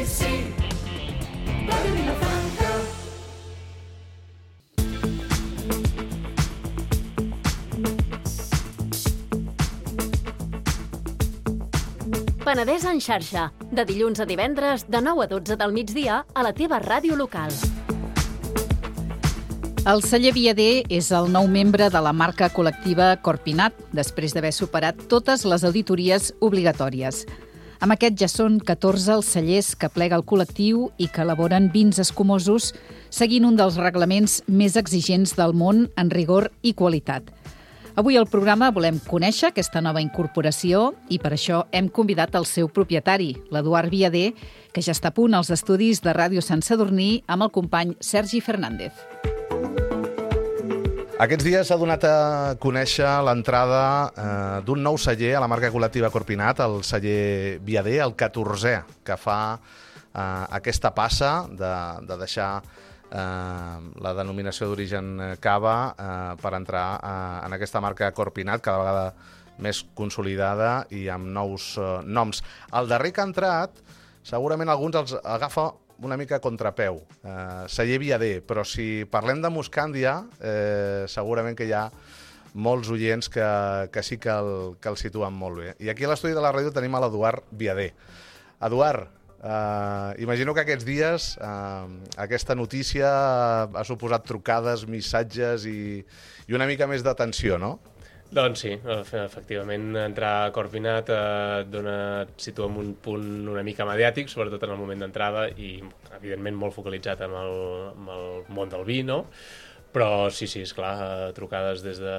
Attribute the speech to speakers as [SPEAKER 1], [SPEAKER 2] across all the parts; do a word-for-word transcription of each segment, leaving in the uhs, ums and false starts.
[SPEAKER 1] sí, Radio Vilafranca.
[SPEAKER 2] Penedès en xarxa, de dilluns a divendres, de nou a dotze del migdia, a la teva ràdio local.
[SPEAKER 3] El celler Viader és el nou membre de la marca col·lectiva Corpinat, després d'haver superat totes les auditories obligatòries. Amb aquest ja són catorze els cellers que plega el col·lectiu i que elaboren vins escumosos, seguint un dels reglaments més exigents del món en rigor i qualitat. Avui al programa volem conèixer aquesta nova incorporació i per això hem convidat el seu propietari, l'Eduard Viader, que ja està a punt als estudis de Ràdio Sant Sadurní amb el company Sergi Fernández.
[SPEAKER 4] Aquests dies s'ha donat a conèixer l'entrada eh, d'un nou celler a la marca col·lectiva Corpinat, el celler Viader, el catorzè, que fa eh, aquesta passa de, de deixar eh, la denominació d'origen cava eh, per entrar eh, en aquesta marca Corpinat, cada vegada més consolidada i amb nous eh, noms. El darrer que ha entrat, segurament alguns els agafa una mica a contrapeu, eh, celler Viader, però si parlem de Moscàndia, eh, segurament que hi ha molts oients que, que sí que el, que el situen molt bé. I aquí a l'estudi de la ràdio tenim a l'Eduard Viader. Eduard, eh, imagino que aquests dies eh, aquesta notícia ha suposat trucades, missatges i, i una mica més d'atenció, no?
[SPEAKER 5] Doncs sí, efectivament, entrar a Corpinat eh, dona, et situa en un punt una mica mediàtic, sobretot en el moment d'entrada i, evidentment, molt focalitzat amb el, amb el món del vi, no? Però sí, sí, esclar, trucades des de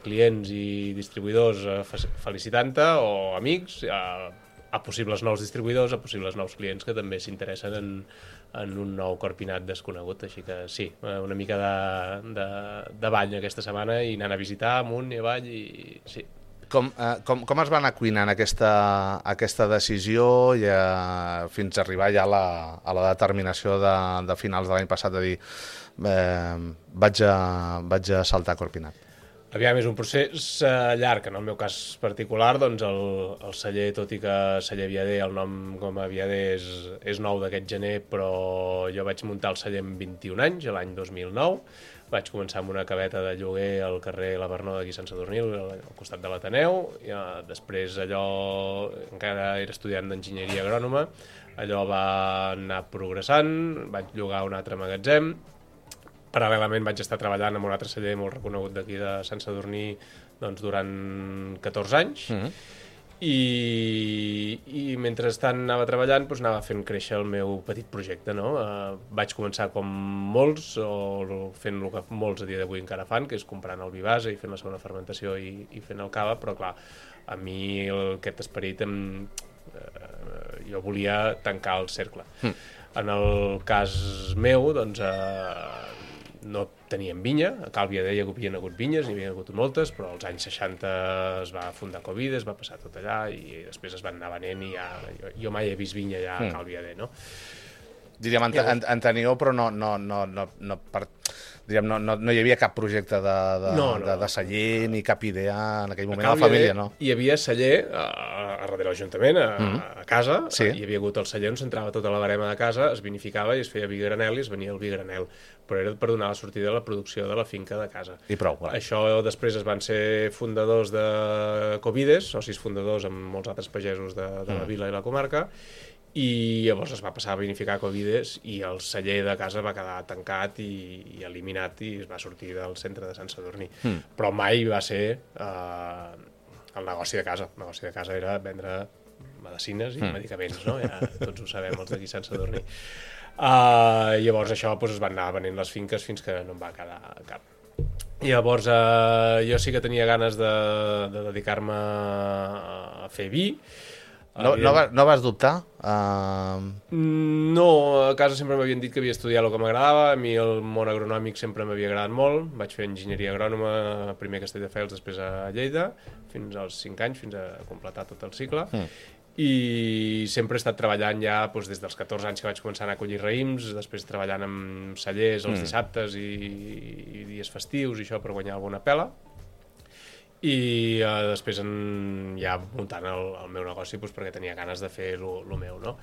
[SPEAKER 5] clients i distribuïdors eh, felicitant-te o amics, a, a possibles nous distribuïdors, a possibles nous clients que també s'interessen en, en un nou Corpinat desconegut, així que sí, una mica de, de, de bany aquesta setmana i anant a visitar amunt i avall i sí.
[SPEAKER 4] Com, eh, com, com es va anar cuinant aquesta, aquesta decisió i, eh, fins a arribar ja a la, a la determinació de, de finals de l'any passat de dir eh, vaig, a, vaig a saltar a Corpinat?
[SPEAKER 5] Aviam, és un procés eh, llarg. En el meu cas particular, doncs el, el celler, tot i que celler Viader, el nom com a Viader és, és nou d'aquest gener, però jo vaig muntar el celler amb vint-i-un anys, l'any dos mil nou. Vaig començar amb una caveta de lloguer al carrer La Vernó d'aquí Sant Sadurní, al costat de l'Ateneu. I, eh, després allò, encara era estudiant d'enginyeria agrònoma, allò va anar progressant, vaig llogar un altre magatzem. Paral·lelament vaig estar treballant amb un altre celler molt reconegut d'aquí de Sant Sadurní doncs, durant catorze anys. Mm-hmm. I, i mentrestant anava treballant, doncs anava fent créixer el meu petit projecte, no? Uh, vaig començar com molts, o fent el que molts a dia d'avui encara fan, que és comprant el vi base i fent la segona fermentació i, i fent el cava, però clar, a mi el, aquest esperit em, uh, jo volia tancar el cercle. Mm. En el cas meu, doncs, uh, no teníem vinya, a Cal Viader hi havia hagut vinyes, n'hi havia hagut moltes, però als anys seixanta es va fundar Covid, es va passar tot allà i després es van anar venent i ja, jo, jo mai he vist vinya allà a Cal Viader, no?
[SPEAKER 4] Diríem, en, en, en teniu, però no, no, no, no, no, per, diríem, no, no, no hi havia cap projecte de, de, no, no. de, de celler ni cap idea en aquell moment a la família, no?
[SPEAKER 5] Hi havia celler a, a darrere l'Ajuntament, a, mm -hmm. a casa,
[SPEAKER 4] sí.
[SPEAKER 5] Hi havia hagut el celler on s'entrava tota la barema de casa, es vinificava i es feia vi granel i es venia el vi granel, però era per donar la sortida a la producció de la finca de casa.
[SPEAKER 4] I prou, clar.
[SPEAKER 5] Això després es van ser fundadors de Covides, socis fundadors amb molts altres pagesos de, de la mm. vila i la comarca, i llavors es va passar a vinificar Covides i el celler de casa va quedar tancat i, i eliminat i es va sortir del centre de Sant Sadurní. Mm. Però mai va ser eh, el negoci de casa. El negoci de casa era vendre medicines i mm. medicaments, no? Ja tots ho sabem, els d'aquí Sant Sadurní. Uh, llavors això doncs, es van anar venent les finques fins que no en va quedar cap. I llavors uh, jo sí que tenia ganes de, de dedicar-me a fer vi.
[SPEAKER 4] No, no, vas, no vas dubtar? Uh...
[SPEAKER 5] No, a casa sempre m'havien dit que havia estudiat el que m'agradava, a mi el món agronòmic sempre m'havia agradat molt, vaig fer enginyeria agrònoma, primer a Castelldefels, després a Lleida, fins als cinc anys, fins a completar tot el cicle, mm. i sempre he estat treballant ja doncs, des dels catorze anys que vaig començar a anar a collir raïms, després treballant amb cellers els mm. dissabtes i, i dies festius i això per guanyar alguna pela. I uh, després en, ja muntant el, el meu negoci doncs, perquè tenia ganes de fer el meu, no?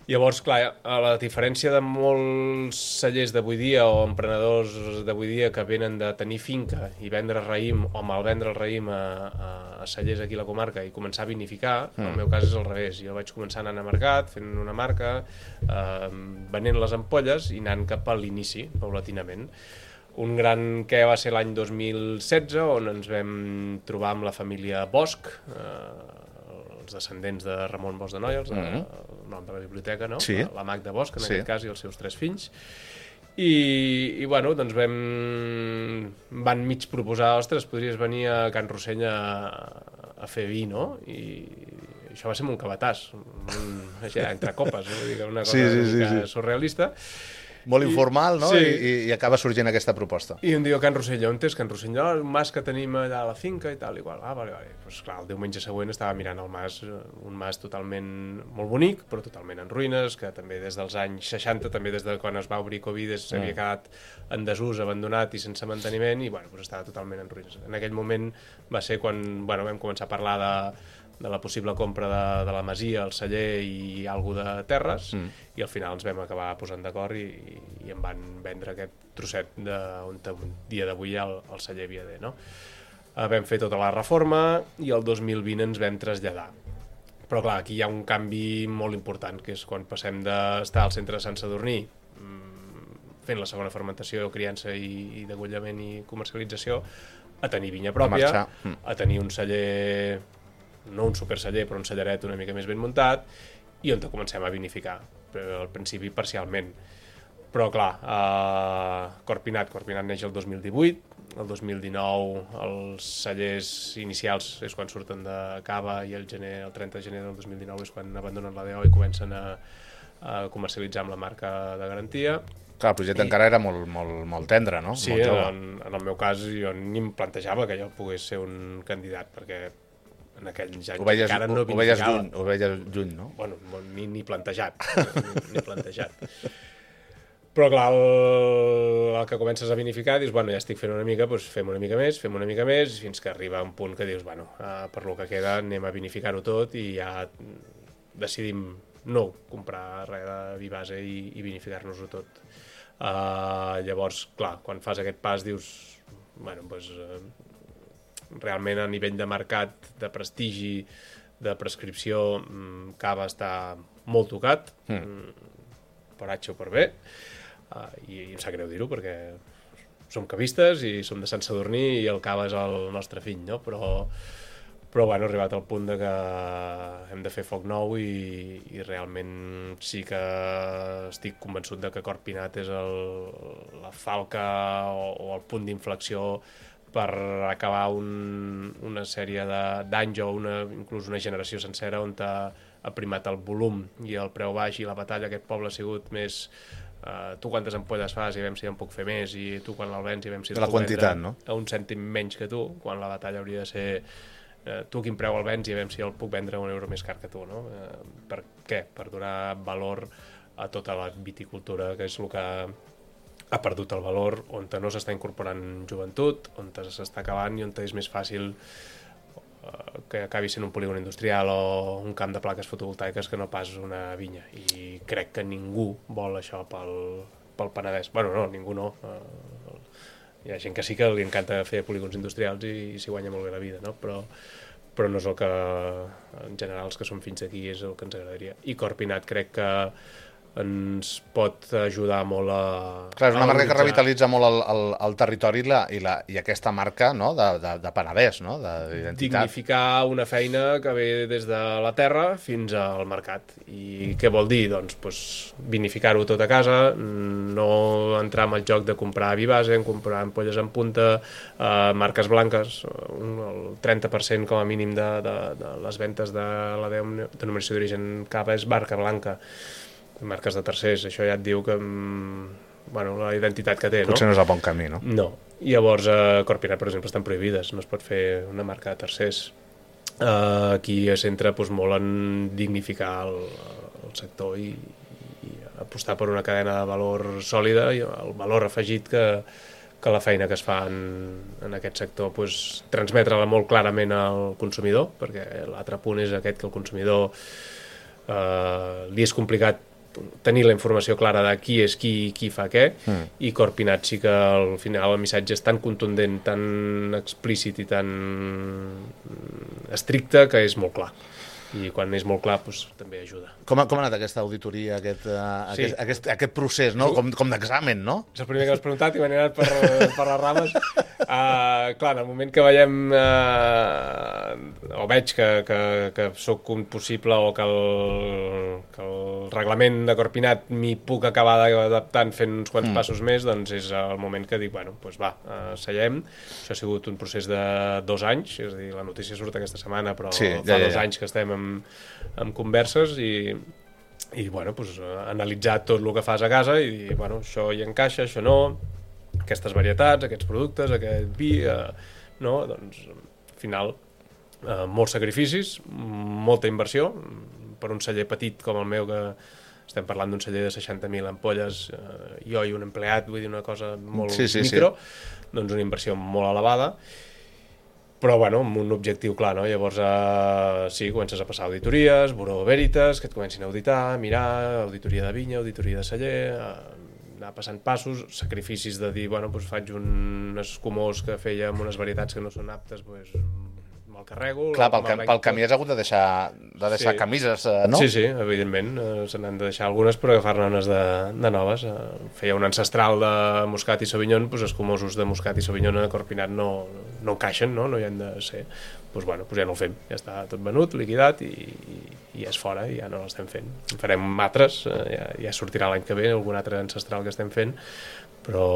[SPEAKER 5] Llavors, clar, a la diferència de molts cellers d'avui dia o emprenedors d'avui dia que venen de tenir finca i vendre raïm o malvendre el raïm a, a, a cellers aquí a la comarca i començar a vinificar, mm. el meu cas és al revés. Jo vaig començar anant a mercat, fent una marca, eh, venent les ampolles i anant cap a l'inici, paulatinament. Un gran que va ser l'any dos mil setze, on ens vam trobar amb la família Bosch, eh, els descendents de Ramon Bosch de Noia, els de, mm-hmm. el nom de la biblioteca, no?
[SPEAKER 4] Sí.
[SPEAKER 5] La, la Magda Bosch, en
[SPEAKER 4] sí.
[SPEAKER 5] aquest cas, i els seus tres fills. I, i bueno, doncs vam... van mig proposar, ostres, podries venir a Can Rossell a, a fer vi, no? I això va ser un cabàtàs, un, així, entre copes, no? Vull dir, una cosa
[SPEAKER 4] sí, sí, sí,
[SPEAKER 5] sí.
[SPEAKER 4] sí.
[SPEAKER 5] surrealista.
[SPEAKER 4] Molt informal, no?
[SPEAKER 5] Sí.
[SPEAKER 4] I, I acaba sorgint aquesta proposta.
[SPEAKER 5] I em diu Can Rossell, on és Can Rossell? No, un mas que tenim allà a la finca i tal, igual. Ah, vale, vale. Pues clar, el diumenge següent estava mirant el mas, un mas totalment molt bonic, però totalment en ruïnes, que també des dels anys seixanta, també des de quan es va obrir Covid, s'havia mm. quedat en desús, abandonat i sense manteniment, i bueno, pues estava totalment en ruïnes. En aquell moment va ser quan bueno, vam començar a parlar de de la possible compra de, de la masia, el celler i alguna de terres, mm. i al final ens vam acabar posant d'acord i, i em van vendre aquest trosset de, on un dia d'avui hi ha el, el celler Viader, no? Uh, vam fer tota la reforma i el dos mil vint ens vam traslladar. Però clar, aquí hi ha un canvi molt important, que és quan passem d'estar al centre de Sant Sadurní fent la segona fermentació, criança i, i degollament i comercialització, a tenir vinya pròpia, a, mm. a tenir un celler, no un superceller, però un celleret una mica més ben muntat, i on comencem a vinificar, però al principi parcialment. Però clar, eh, Corpinat, Corpinat neix el dos mil divuit, el dos mil dinou els cellers inicials és quan surten de cava i el, gener, el trenta de gener del dos mil dinou és quan abandonen la D O i comencen a, a comercialitzar amb la marca de garantia.
[SPEAKER 4] Clar, el projecte I... encara era molt, molt, molt tendre, no?
[SPEAKER 5] Sí,
[SPEAKER 4] molt
[SPEAKER 5] en, en el meu cas jo ni em plantejava que jo pogués ser un candidat, perquè en aquells anys
[SPEAKER 4] ho veies,
[SPEAKER 5] encara no
[SPEAKER 4] ho veies lluny, ho veies lluny, no?
[SPEAKER 5] Bueno, ni, ni plantejat, ni, ni plantejat. Però clar, el, el que comences a vinificar, dius, bueno, ja estic fent una mica, doncs fem una mica més, fem una mica més, fins que arriba un punt que dius, bueno, uh, per lo que queda anem a vinificar-ho tot i ja decidim no comprar res de vi base i, i vinificar-nos-ho tot. Uh, llavors, clar, quan fas aquest pas dius, bueno, doncs... Uh, realment a nivell de mercat, de prestigi, de prescripció, Cava està molt tocat, mm. per H o per B, uh, i, i em sap greu dir-ho perquè som cavistes i som de Sant Sadurní i el Cava és el nostre fill, no? Però, però bueno, ha arribat al punt de que hem de fer foc nou i, i realment sí que estic convençut de que Corpinat és el, la falca o, o el punt d'inflexió per acabar un, una sèrie d'anys o una, inclús una generació sencera on ha, ha primat el volum i el preu baix i la batalla aquest poble ha sigut més uh, tu quantes ampolles fas i veiem si en puc fer més i tu quan el vens i veiem si
[SPEAKER 4] de la quantitat, no?
[SPEAKER 5] A un cèntim menys que tu, quan la batalla hauria de ser uh, tu quin preu el vens i veiem si el puc vendre un euro més car que tu, no? Uh, per què? Per donar valor a tota la viticultura, que és el que ha perdut el valor, on no s'està incorporant joventut, on s'està acabant i on és més fàcil uh, que acabi sent un polígon industrial o un camp de plaques fotovoltaiques que no pas una vinya. I crec que ningú vol això pel, pel Penedès. Bueno, no, ningú no. Uh, hi ha gent que sí que li encanta fer polígons industrials i, i s'hi guanya molt bé la vida, no? Però, però no és el que, en general, els que som fins aquí és el que ens agradaria. I Corpinat crec que ens pot ajudar molt a...
[SPEAKER 4] Clar, és una marca que revitalitza molt el, el, el territori i, la, i, la, i aquesta marca, no? de, de, de Penedès, no? D'identitat.
[SPEAKER 5] Dignificar una feina que ve des de la terra fins al mercat. I què vol dir? Doncs, doncs vinificar-ho tot a casa, no entrar en el joc de comprar vi base, comprar ampolles en punta, eh, marques blanques, un, el trenta per cent com a mínim de, de, de les ventes de la denominació d'origen Cava és marca blanca. Marques de tercers, això ja et diu que bueno, la identitat que té, no?
[SPEAKER 4] Potser no és el bon camí, no?
[SPEAKER 5] No. I llavors a Corpinat, per exemple, estan prohibides, no es pot fer una marca de tercers. Uh, aquí es centra doncs, molt en dignificar el, el sector i, i apostar per una cadena de valor sòlida i el valor afegit que, que la feina que es fa en, en aquest sector doncs, transmetre-la molt clarament al consumidor, perquè l'altre punt és aquest, que el consumidor eh, li és complicat tenir la informació clara de qui és qui i qui fa què, mm. i Corpinat sí que al final el missatge és tan contundent, tan explícit i tan estricte que és molt clar. I quan és molt clar, doncs, també ajuda.
[SPEAKER 4] Com ha, com ha anat aquesta auditoria, aquest, uh, sí. aquest, aquest, aquest procés, no? Com, com d'examen, no?
[SPEAKER 5] És el primer que m'has preguntat i m'he anat per, per les rames. Uh, clar, en el moment que veiem uh, o veig que, que, que sóc un possible o que el, que el reglament de Corpinat m'hi puc acabar adaptant fent uns quants mm. passos més, doncs és el moment que dic, bueno, doncs va, uh, seiem. Això ha sigut un procés de dos anys, és a dir, la notícia surt aquesta setmana, però sí, ja, fa ja, dos ja. anys que estem amb, amb converses i, i bueno, pues, analitzar tot el que fas a casa i dir, bueno, això hi encaixa, això no, aquestes varietats, aquests productes, aquest vi, eh, no, doncs, al final, eh, molts sacrificis, molta inversió, per un celler petit com el meu, que estem parlant d'un celler de seixanta mil ampolles, eh, jo i un empleat, vull dir una cosa molt sí, sí, micro, sí. doncs una inversió molt elevada, però, bueno, amb un objectiu clar, no? Llavors, eh, sí, comences a passar auditories, Bureau Veritas, que et comencin a auditar, mirar, auditoria de vinya, auditoria de celler, eh, anar passant passos, sacrificis de dir, bueno, doncs faig un escumós que feia amb unes varietats que no són aptes, doncs me'l carrego.
[SPEAKER 4] Clar, pel, cam pel camí has hagut de deixar, de deixar sí. camises, no?
[SPEAKER 5] Sí, sí, evidentment, eh, se n'han de deixar algunes per agafar-ne unes de, de noves. Eh, feia un ancestral de Moscat i Sauvignon, doncs escumosos de Moscat i Sauvignon a Corpinat no, no encaixen, no? No hi han de ser. Doncs, bueno, doncs ja no el fem, ja està tot venut, liquidat i, i, i ja és fora, i ja no l'estem fent. En farem altres, eh, ja, ja sortirà l'any que ve algun altre ancestral que estem fent, però,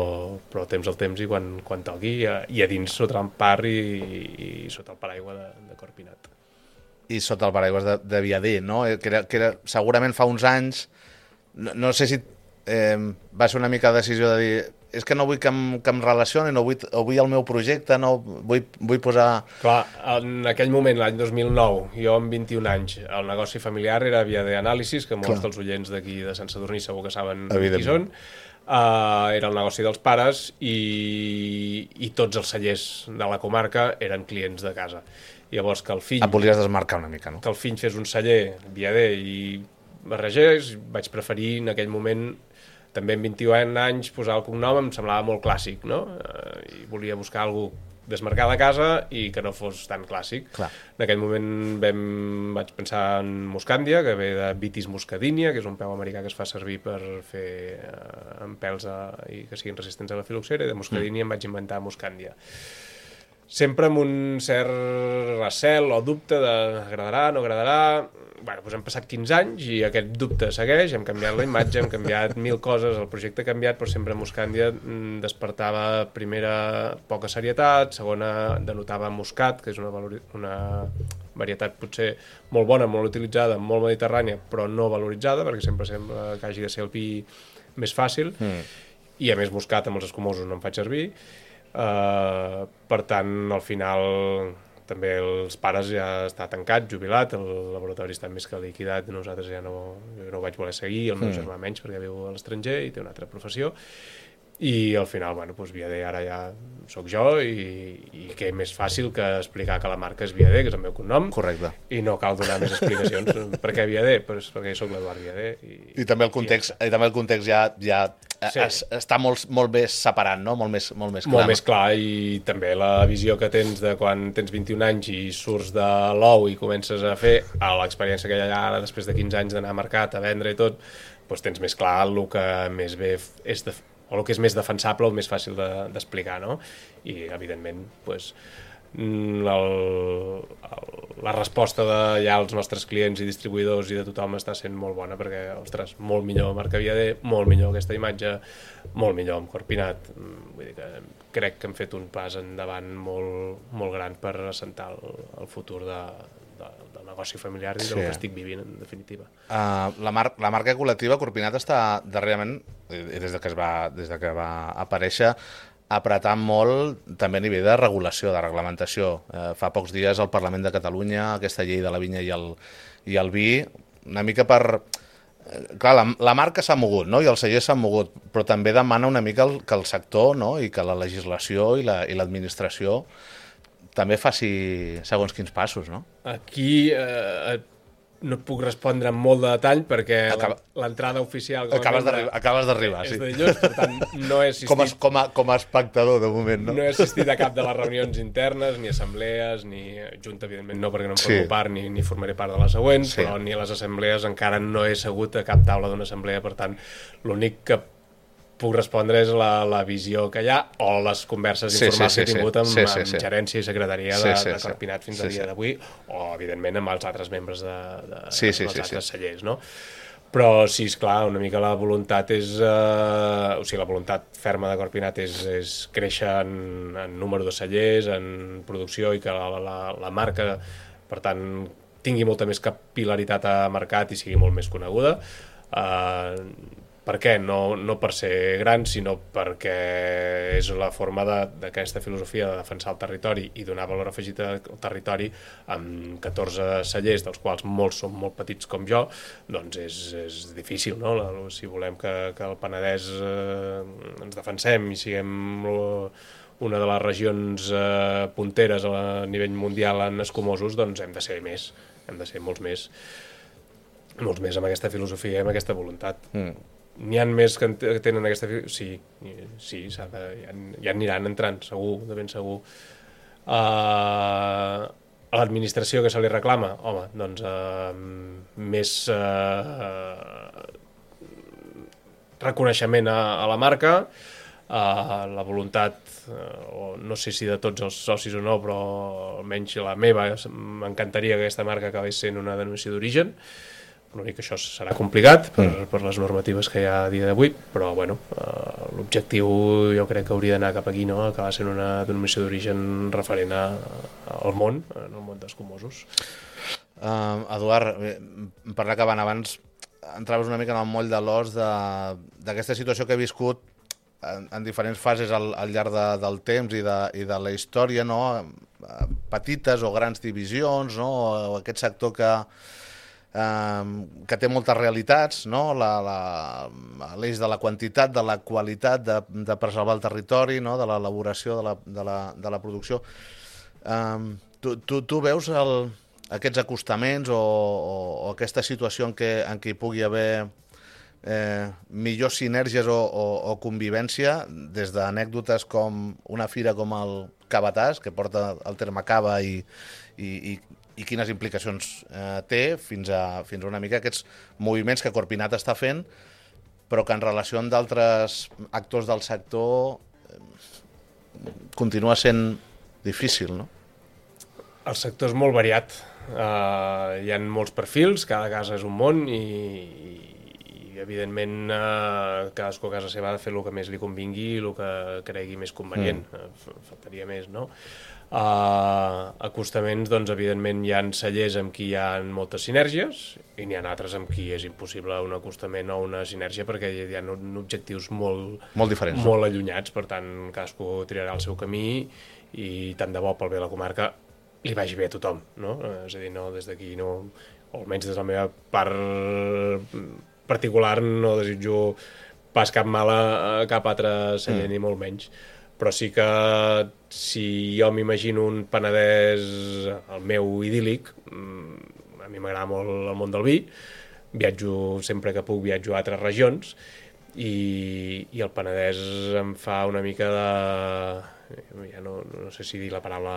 [SPEAKER 5] però temps al temps i quan, quan toqui, i a, i a dins sota l'empar i, i, i sota el paraigua de, de Corpinat.
[SPEAKER 4] I sota el paraigua de, de Viader, no? Que era, que era, segurament fa uns anys, no, no sé si eh, va ser una mica de decisió de dir és que no vull que em, que em relacioni, no vull, vull el meu projecte, no vull, vull posar...
[SPEAKER 5] Clar, en aquell moment, l'any dos mil nou, jo amb vint-i-un anys, el negoci familiar era Viader Anàlisis, que molts Clar. dels oients d'aquí de Sant Sadurní segur que saben qui són. Uh, era el negoci dels pares i, i tots els cellers de la comarca eren clients de casa. Llavors que el fill...
[SPEAKER 4] Et volies desmarcar una mica, no?
[SPEAKER 5] Que el fill fes un celler Viader i barregés, vaig preferir en aquell moment, també amb vint-i-un anys, posar el cognom em semblava molt clàssic, no? Uh, I volia buscar algú desmarcar de casa i que no fos tan clàssic.
[SPEAKER 4] Clar.
[SPEAKER 5] En aquell moment vam, vaig pensar en Muscandia, que ve de Vitis muscadinia, que és un peu americà que es fa servir per fer eh, amb pèls a, i que siguin resistents a la filoxera, i de muscadinia mm. em vaig inventar Muscandia. Sempre amb un cert recel o dubte de agradarà, no agradarà... Bueno, doncs hem passat quinze anys i aquest dubte segueix, hem canviat la imatge, hem canviat mil coses, el projecte ha canviat, però sempre Muscandia despertava, primera, poca serietat, segona, denotava Muscat, que és una, una varietat potser molt bona, molt utilitzada, molt mediterrània, però no valoritzada, perquè sempre sembla que hagi de ser el vi més fàcil, mm. i a més Muscat amb els escumosos no em faig servir, uh, per tant, al final... També els pares ja està tancat, jubilat, el laboratori està més que liquidat, nosaltres ja no, jo no ho vaig voler seguir, el meu mm. germà menys perquè viu a l'estranger i té una altra professió, i al final, bueno, doncs Viader ara ja sóc jo i, i què més fàcil que explicar que la marca és Viader, que és el meu cognom.
[SPEAKER 4] Correcte.
[SPEAKER 5] I no cal donar més explicacions. Per què Viader? Pues perquè jo soc l'Eduard Viader. I,
[SPEAKER 4] I també el context, i, i també el context ja, ja sí. es, està molt, molt més separat, no? Molt més, molt més clar.
[SPEAKER 5] Molt més clar, i també la visió que tens de quan tens vint-i-un anys i surts de l'ou i comences a fer l'experiència que hi ha ara després de quinze anys d'anar a mercat, a vendre i tot, doncs tens més clar el que més bé és de o el que és més defensable o més fàcil d'explicar, de, no? I, evidentment, doncs, el, el, la resposta de ja els nostres clients i distribuïdors i de tothom està sent molt bona, perquè, ostres, molt millor marca Viader, molt millor aquesta imatge, molt millor amb Corpinat. Vull dir que crec que hem fet un pas endavant molt, molt gran per assentar el, el futur de, de, del negoci familiar i sí. del que estic vivint, en definitiva.
[SPEAKER 4] Uh, la, mar la marca col·lectiva Corpinat està darrerament, des de que, es va, des de que va aparèixer, apretant molt també a nivell de regulació, de reglamentació. Eh, fa pocs dies al Parlament de Catalunya, aquesta llei de la vinya i el, i el vi, una mica per... Eh, clar, la, la marca s'ha mogut, no? I els cellers s'han mogut, però també demana una mica el, que el sector, no? I que la legislació i l'administració la, i també faci segons quins passos, no?
[SPEAKER 5] Aquí... Eh, no et puc respondre amb molt de detall perquè
[SPEAKER 4] Acaba...
[SPEAKER 5] l'entrada oficial...
[SPEAKER 4] Acabes d'arribar, acabes d'arribar, sí.
[SPEAKER 5] És de dilluns, per tant, no he assistit...
[SPEAKER 4] Com a, com, a, com a espectador, de moment, no?
[SPEAKER 5] No he assistit a cap de les reunions internes, ni assemblees, ni junta, evidentment no, perquè no em formo
[SPEAKER 4] Sí.
[SPEAKER 5] part, ni, ni formaré part de les següents,
[SPEAKER 4] Sí.
[SPEAKER 5] però ni a les assemblees encara no he segut a cap taula d'una assemblea, per tant, l'únic que puc respondre és la, la visió que hi ha o les converses
[SPEAKER 4] Sí,
[SPEAKER 5] informals
[SPEAKER 4] sí, sí,
[SPEAKER 5] que he tingut amb,
[SPEAKER 4] sí, sí,
[SPEAKER 5] amb
[SPEAKER 4] sí.
[SPEAKER 5] gerència i secretaria
[SPEAKER 4] Sí,
[SPEAKER 5] de,
[SPEAKER 4] sí,
[SPEAKER 5] de
[SPEAKER 4] sí.
[SPEAKER 5] Corpinat fins
[SPEAKER 4] Sí,
[SPEAKER 5] al dia
[SPEAKER 4] sí.
[SPEAKER 5] d'avui, o, evidentment, amb els altres membres de, de,
[SPEAKER 4] Sí, sí,
[SPEAKER 5] dels
[SPEAKER 4] sí,
[SPEAKER 5] altres
[SPEAKER 4] sí.
[SPEAKER 5] cellers, no? Però sí, esclar, una mica la voluntat és... Eh, o sigui, la voluntat ferma de Corpinat és, és créixer en, en número de cellers, en producció, i que la, la, la marca, per tant, tingui molta més capil·laritat a mercat i sigui molt més coneguda. Eh, per què? No, no per ser gran, sinó perquè és la forma d'aquesta filosofia de defensar el territori i donar valor afegit al territori amb catorze cellers, dels quals molts són molt petits com jo, doncs és, és difícil, no? La, si volem que, que el Penedès eh, ens defensem i siguem una de les regions eh, punteres a nivell mundial en escumosos, doncs hem de ser més, hem de ser molts més, molts més amb aquesta filosofia i amb aquesta voluntat. Mm. N'hi ha més que tenen aquesta... Sí, sí, s'ha de, ja, ja aniran entrant, segur, de ben segur. Uh, a l'administració que se li reclama, home, doncs uh, més uh, reconeixement a, a la marca, uh, la voluntat, uh, o no sé si de tots els socis o no, però almenys la meva, m'encantaria que aquesta marca acabés sent una denominació d'origen. L'únic que això serà complicat per, mm. per les normatives que hi ha a dia d'avui, però bueno, uh, l'objectiu jo crec que hauria d'anar cap aquí, no? Acabar sent una denominació d'origen referent a, al món, en el món dels comosos.
[SPEAKER 4] Uh, Eduard, per anar acabant, abans entraves una mica en el moll de l'os d'aquesta situació que he viscut en, en diferents fases al, al llarg de, del temps i de, i de la història, no? Petites o grans divisions, no? O aquest sector que Um, que té moltes realitats, no? L'eix de la quantitat, de la qualitat, de, de preservar el territori, no? De l'elaboració de, la, de, la, de la producció. Um, tu, tu, tu veus el, aquests acostaments o, o, o aquesta situació en què, en què hi pugui haver eh, millors sinergies o, o, o convivència, des d'anècdotes com una fira com el Cabatàs, que porta el terme cava i, i, i i quines implicacions eh, té fins a, fins a una mica aquests moviments que Corpinat està fent, però que en relació amb d'altres actors del sector eh, continua sent difícil, no?
[SPEAKER 5] El sector és molt variat. Uh, hi ha molts perfils, cada casa és un món i, i evidentment uh, cadascú a casa seva ha de fer el que més li convingui i el que cregui més convenient. Mm. Faltaria més, no? Uh, acostaments, doncs, evidentment, hi ha cellers amb qui hi ha moltes sinergies i n'hi ha altres amb qui és impossible un acostament o una sinergia perquè hi ha objectius molt,
[SPEAKER 4] molt diferents,
[SPEAKER 5] molt allunyats, per tant, cadascú triarà el seu camí i tant de bo pel bé de la comarca li vagi bé a tothom, no? És a dir, no, des d'aquí, no, o almenys des de la meva part particular, no desitjo pas cap mal a cap altre celler, mm. ni molt menys. Però sí que si jo m'imagino un Penedès, el meu idíl·lic, a mi m'agrada molt el món del vi, viatjo sempre que puc, viatjo a altres regions, i, i el Penedès em fa una mica de... ja no, no sé si dir la paraula...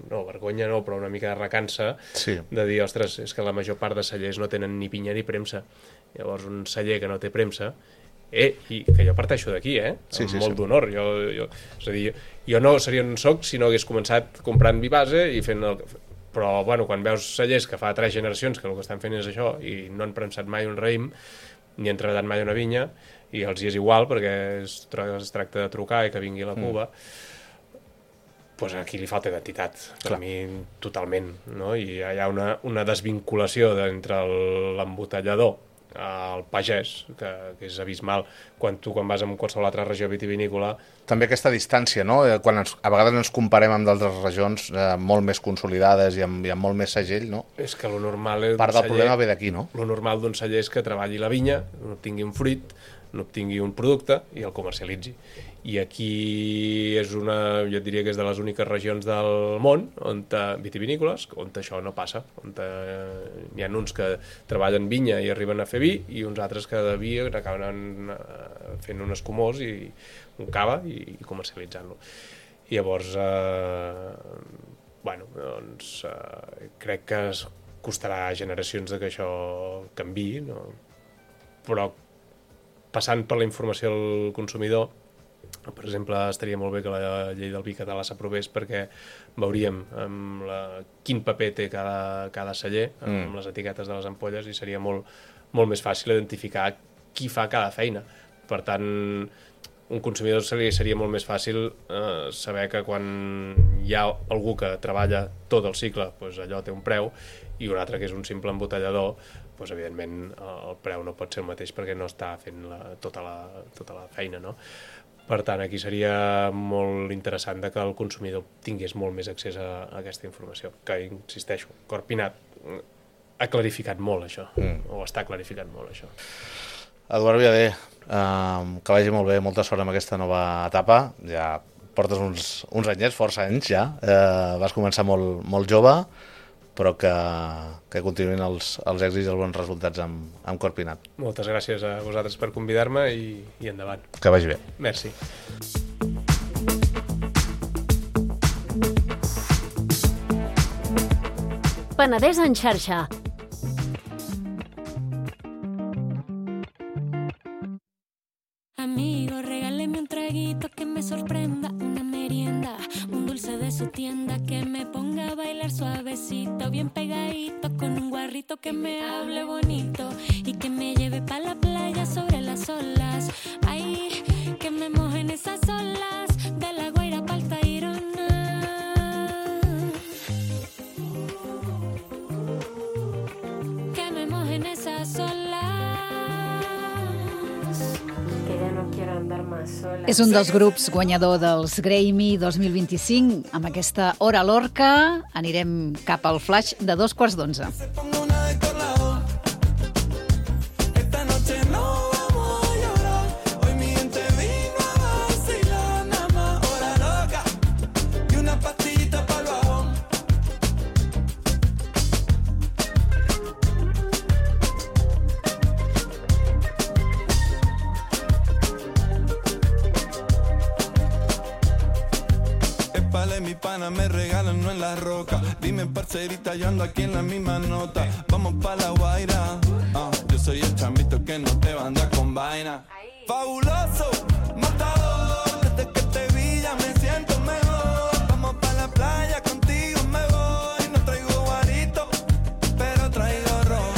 [SPEAKER 5] no, vergonya no, però una mica de recança, sí. De dir, ostres, és que la major part de cellers no tenen ni pinya ni premsa. Llavors un celler que no té premsa, eh, i que jo parteixo d'aquí, eh,
[SPEAKER 4] sí,
[SPEAKER 5] amb
[SPEAKER 4] sí,
[SPEAKER 5] molt
[SPEAKER 4] sí.
[SPEAKER 5] d'honor. Jo, jo, és a dir, jo no seria un soc si no hagués començat comprant vi base i fent el... Però, bueno, quan veus cellers que fa tres generacions que el que estan fent és això i no han premsat mai un raïm, ni han treballat mai una vinya, i els hi és igual perquè es, es tracta de trucar i que vingui la cuba, mm. doncs aquí li falta identitat, per Clar. mi totalment, no? I hi ha una, una desvinculació entre l'embotellador al pagès, que, que és abismal quan tu quan vas a qualsevol altra regió vitivinícola.
[SPEAKER 4] També aquesta distància, no? Quan ens, a vegades ens comparem amb d'altres regions eh, molt més consolidades i amb, i amb molt més segell, no?
[SPEAKER 5] És que lo normal és
[SPEAKER 4] part del celler, problema ve d'aquí, no?
[SPEAKER 5] Lo normal d'un celler és que treballi la vinya, tingui un fruit, n'obtingui un producte i el comercialitzi. I aquí és una, jo diria que és de les úniques regions del món on vitivinícoles, on això no passa, on hi ha uns que treballen vinya i arriben a fer vi i uns altres que de vi acaben fent un escumós i un cava i comercialitzant-lo. I llavors, eh, bueno, doncs eh, crec que es costarà generacions de que això canviï, no? Però passant per la informació al consumidor, per exemple, estaria molt bé que la llei del vi català s'aprovés perquè veuríem amb la, quin paper té cada, cada celler amb mm. les etiquetes de les ampolles i seria molt, molt més fàcil identificar qui fa cada feina. Per tant, un consumidor seria, seria molt més fàcil eh, saber que quan hi ha algú que treballa tot el cicle, doncs allò té un preu, i un altre que és un simple embotellador, doncs evidentment el preu no pot ser el mateix perquè no està fent la, tota, la, tota la feina, no? Per tant, aquí seria molt interessant que el consumidor tingués molt més accés a, a aquesta informació, que, insisteixo, Corpinat ha clarificat molt això, mm. o està clarificant molt això.
[SPEAKER 4] Eduard Viader, eh, que vagi molt bé, molta sort amb aquesta nova etapa, ja portes uns, uns anyets, força anys ja, eh, vas començar molt, molt jove, però que, que continuïn els, els èxits i els bons resultats amb, amb Corpinat.
[SPEAKER 5] Moltes gràcies a vosaltres per convidar-me i, i endavant.
[SPEAKER 4] Que vagi bé.
[SPEAKER 5] Merci.
[SPEAKER 2] Penedès en xarxa.
[SPEAKER 1] Amigo, regáleme un traguito que me sorprenda, una merienda, un dulce de su tienda que me ponga a bailar suavecito, bien pegadito, con un guarrito que me hable bonito y que me lleve pa' la playa sobre las olas. Ay, que me mojen esas olas de la Guaira pa'l Tayrona. Que me mojen esas olas.
[SPEAKER 3] És un dels grups guanyador dels Grammy dos mil vint-i-cinc. Amb aquesta Hora Lorca anirem cap al flash de dos quarts d'onze.
[SPEAKER 6] Mi pana me regalan, no en la roca. Dime, parcerita, yo ando aquí en la misma nota. Vamos pa' la Guaira. Uh, yo soy el chambito que no te va a andar con vaina. Fabuloso, matador. Desde que te vi ya me siento mejor. Vamos pa' la playa, contigo me voy. No traigo guarito, pero traigo ron.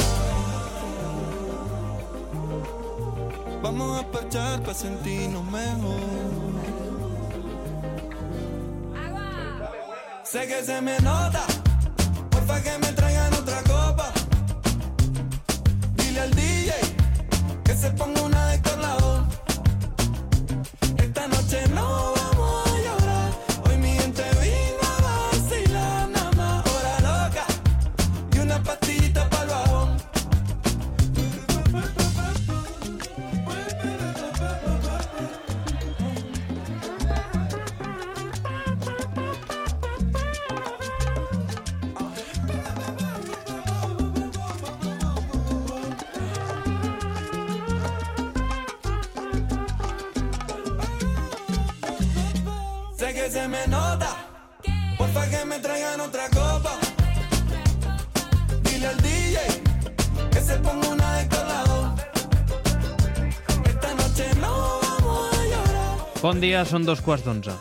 [SPEAKER 6] Vamos a parchar pa' sentirnos mejor. Sé que se me nota, porfa que me traigan otra copa. Dile al D J que se ponga una de colado. Esta noche no vamos a llorar, hoy mi gente vino a vacilar. Nada más hora loca y una pastillita pa'l bajón. Que se me nota, porfa que me traigan otra copa. Dile al D J que se ponga una de colado. Esta noche no vamos a llorar.
[SPEAKER 7] Bon dia, són dos quarts d'onze.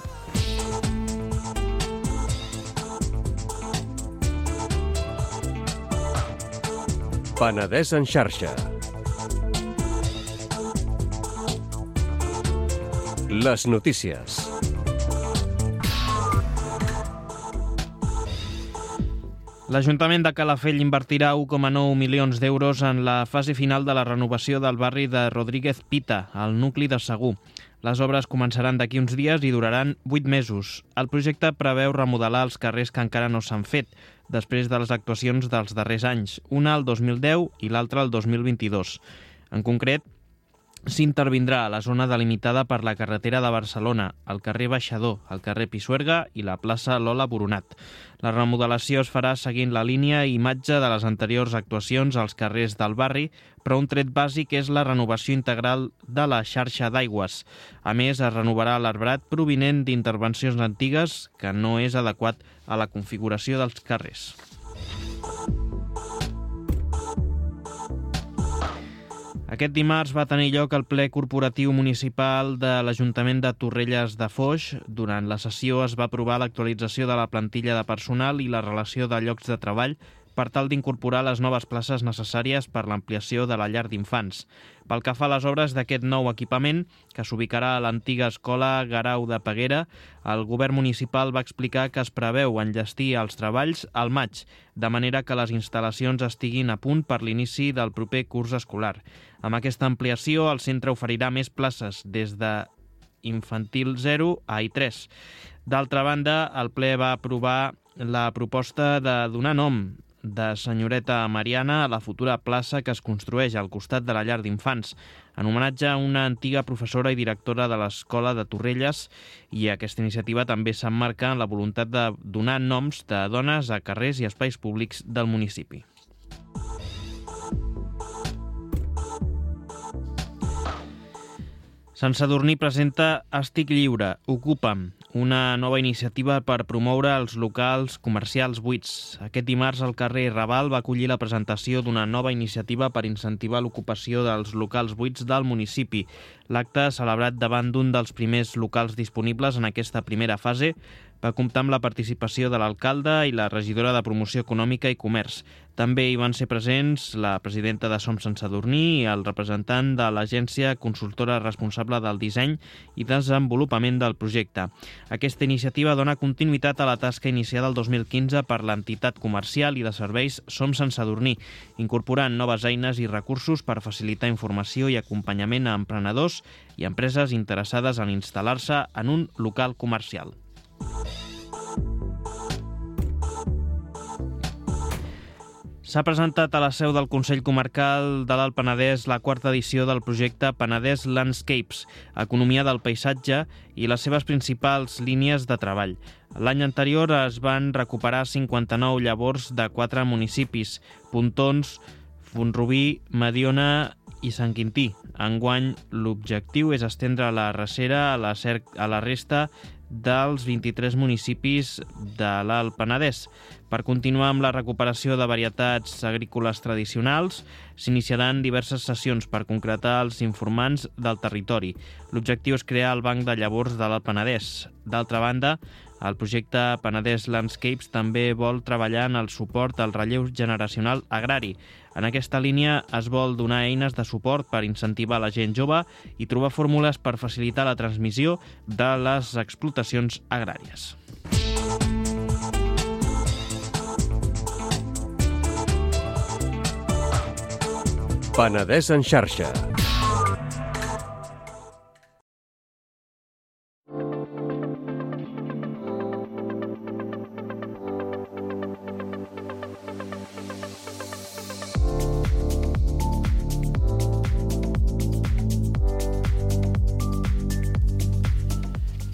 [SPEAKER 8] Penedès en xarxa. Les notícies.
[SPEAKER 7] L'Ajuntament de Calafell invertirà u coma nou milions d'euros en la fase final de la renovació del barri de Rodríguez Pita, al nucli de Segur. Les obres començaran d'aquí uns dies i duraran vuit mesos. El projecte preveu remodelar els carrers que encara no s'han fet, després de les actuacions dels darrers anys, una el dos mil deu i l'altra el dos mil vint-i-dos. En concret, s'intervindrà a la zona delimitada per la carretera de Barcelona, el carrer Baixador, el carrer Pisuerga i la plaça Lola Boronat. La remodelació es farà seguint la línia i imatge de les anteriors actuacions als carrers del barri, però un tret bàsic és la renovació integral de la xarxa d'aigües. A més, es renovarà l'arbrat provinent d'intervencions antigues que no és adequat a la configuració dels carrers. Aquest dimarts va tenir lloc el ple corporatiu municipal de l'Ajuntament de Torrelles de Foix. Durant la sessió es va aprovar l'actualització de la plantilla de personal i la relació de llocs de treball per tal d'incorporar les noves places necessàries per l'ampliació de la llar d'infants. Pel que fa a les obres d'aquest nou equipament, que s'ubicarà a l'antiga escola Garau de Peguera, el govern municipal va explicar que es preveu enllestir els treballs al maig, de manera que les instal·lacions estiguin a punt per l'inici del proper curs escolar. Amb aquesta ampliació, el centre oferirà més places des de infantil zero a I tres. D'altra banda, el ple va aprovar la proposta de donar nom de Senyoreta Mariana a la futura plaça que es construeix al costat de la llar d'infants, en homenatge a una antiga professora i directora de l'escola de Torrelles, i aquesta iniciativa també s'emmarca en la voluntat de donar noms de dones a carrers i espais públics del municipi. Sant Sadurní presenta Estic lliure, ocupa'm, una nova iniciativa per promoure els locals comercials buits. Aquest dimarts el carrer Raval va acollir la presentació d'una nova iniciativa per incentivar l'ocupació dels locals buits del municipi. L'acte, celebrat davant d'un dels primers locals disponibles en aquesta primera fase, va comptar amb la participació de l'alcalde i la regidora de Promoció Econòmica i Comerç. També hi van ser presents la presidenta de Som Sant Sadurní i el representant de l'agència consultora responsable del disseny i desenvolupament del projecte. Aquesta iniciativa dona continuïtat a la tasca iniciada el dos mil quinze per l'entitat comercial i de serveis Som Sant Sadurní, incorporant noves eines i recursos per facilitar informació i acompanyament a emprenedors i empreses interessades en instal·lar-se en un local comercial. S'ha presentat a la seu del Consell Comarcal de l'Alt Penedès la quarta edició del projecte Penedès Landscapes, Economia del Paisatge i les seves principals línies de treball. L'any anterior es van recuperar cinquanta-nou llavors de quatre municipis, Pontons, Font-rubí, Mediona i Sant Quintí. Enguany, l'objectiu és estendre la recera a la, cer- a la resta dels vint-i-tres municipis de l'Alt Penedès. Per continuar amb la recuperació de varietats agrícoles tradicionals, s'iniciaran diverses sessions per concretar els informants del territori. L'objectiu és crear el Banc de Llavors de l'Alt Penedès. D'altra banda, el projecte Penedès Landscapes també vol treballar en el suport al relleu generacional agrari. En aquesta línia es vol donar eines de suport per incentivar la gent jove i trobar fórmules per facilitar la transmissió de les explotacions agràries.
[SPEAKER 8] Penedès en xarxa.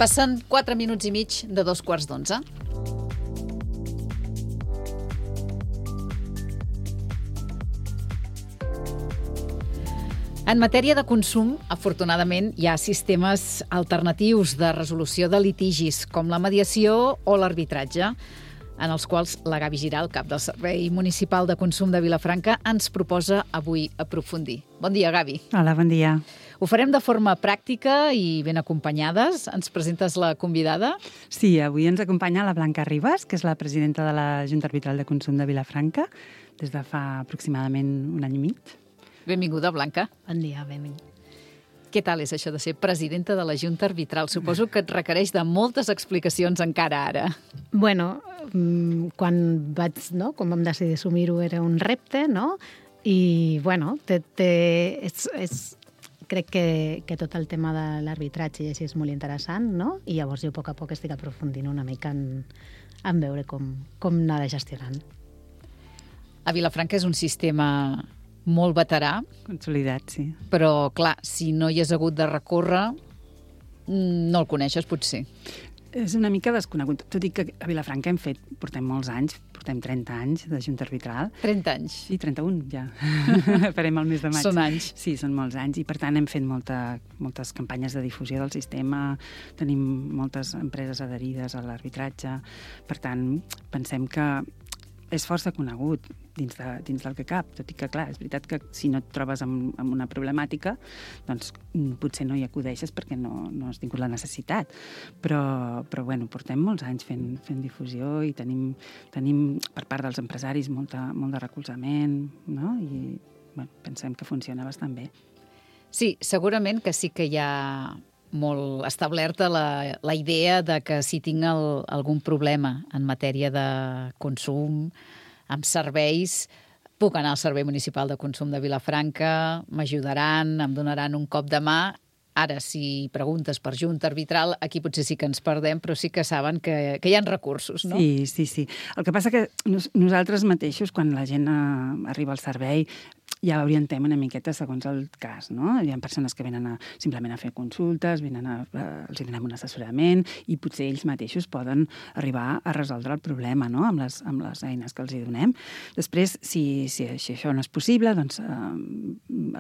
[SPEAKER 3] Passen quatre minuts i mig de dos quarts d'onze. En matèria de consum, afortunadament, hi ha sistemes alternatius de resolució de litigis, com la mediació o l'arbitratge, en els quals la Gavi Giral, cap del Servei Municipal de Consum de Vilafranca, ens proposa avui aprofundir. Bon dia, Gavi.
[SPEAKER 9] Hola, bon dia.
[SPEAKER 3] Ho farem de forma pràctica i ben acompanyades. Ens presentes la convidada?
[SPEAKER 9] Sí, avui ens acompanya la Blanca Ribas, que és la presidenta de la Junta Arbitral de Consum de Vilafranca, des de fa aproximadament un any i mig.
[SPEAKER 3] Benvinguda, Blanca.
[SPEAKER 10] Bon dia, benvinguda.
[SPEAKER 3] Què tal és això de ser presidenta de la Junta Arbitral? Suposo que et requereix de moltes explicacions encara ara.
[SPEAKER 10] Bueno, quan vaig, no, quan vam decidir assumir-ho era un repte, no? I, bueno, té, té, és, és, crec que, que tot el tema de l'arbitratge i així és molt interessant, no? I llavors jo a poc a poc estic aprofundint una mica en, en veure com, com anar gestionant.
[SPEAKER 3] A Vilafranca és un sistema molt veterà.
[SPEAKER 9] Consolidat, sí.
[SPEAKER 3] Però, clar, si no hi has hagut de recórrer, no el coneixes, potser.
[SPEAKER 9] És una mica desconegut. Tot i que a Vilafranca hem fet, portem molts anys, portem trenta anys de junta arbitral.
[SPEAKER 3] trenta anys?
[SPEAKER 9] Sí, trenta-un, ja. Farem el mes de maig.
[SPEAKER 3] Són anys.
[SPEAKER 9] Sí, són molts anys, i per tant hem fet molta, moltes campanyes de difusió del sistema, tenim moltes empreses adherides a l'arbitratge, per tant, pensem que és força conegut dins, de, dins del que cap, tot i que, clar, és veritat que si no et trobes amb, amb una problemàtica, doncs potser no hi acudeixes perquè no, no has tingut la necessitat. Però, però bueno, portem molts anys fent, fent difusió i tenim, tenim per part dels empresaris molta, molt de recolzament, no? I bueno, pensem que funciona bastant bé.
[SPEAKER 3] Sí, segurament que sí que hi ha molt establerta la, la idea de que si tinc el, algun problema en matèria de consum, amb serveis, puc anar al Servei Municipal de Consum de Vilafranca, m'ajudaran, em donaran un cop de mà. Ara, si preguntes per junta arbitral, aquí potser sí que ens perdem, però sí que saben que, que hi ha recursos, no?
[SPEAKER 9] Sí, sí, sí. El que passa que nos, nosaltres mateixos, quan la gent uh, arriba al servei, ja l'orientem una miqueta segons el cas, no? Hi ha persones que venen a, simplement a fer consultes, venen a, a, els donem un assessorament i potser ells mateixos poden arribar a resoldre el problema, no? Amb les, amb les eines que els hi donem. Després, si, si, si això no és possible, doncs eh,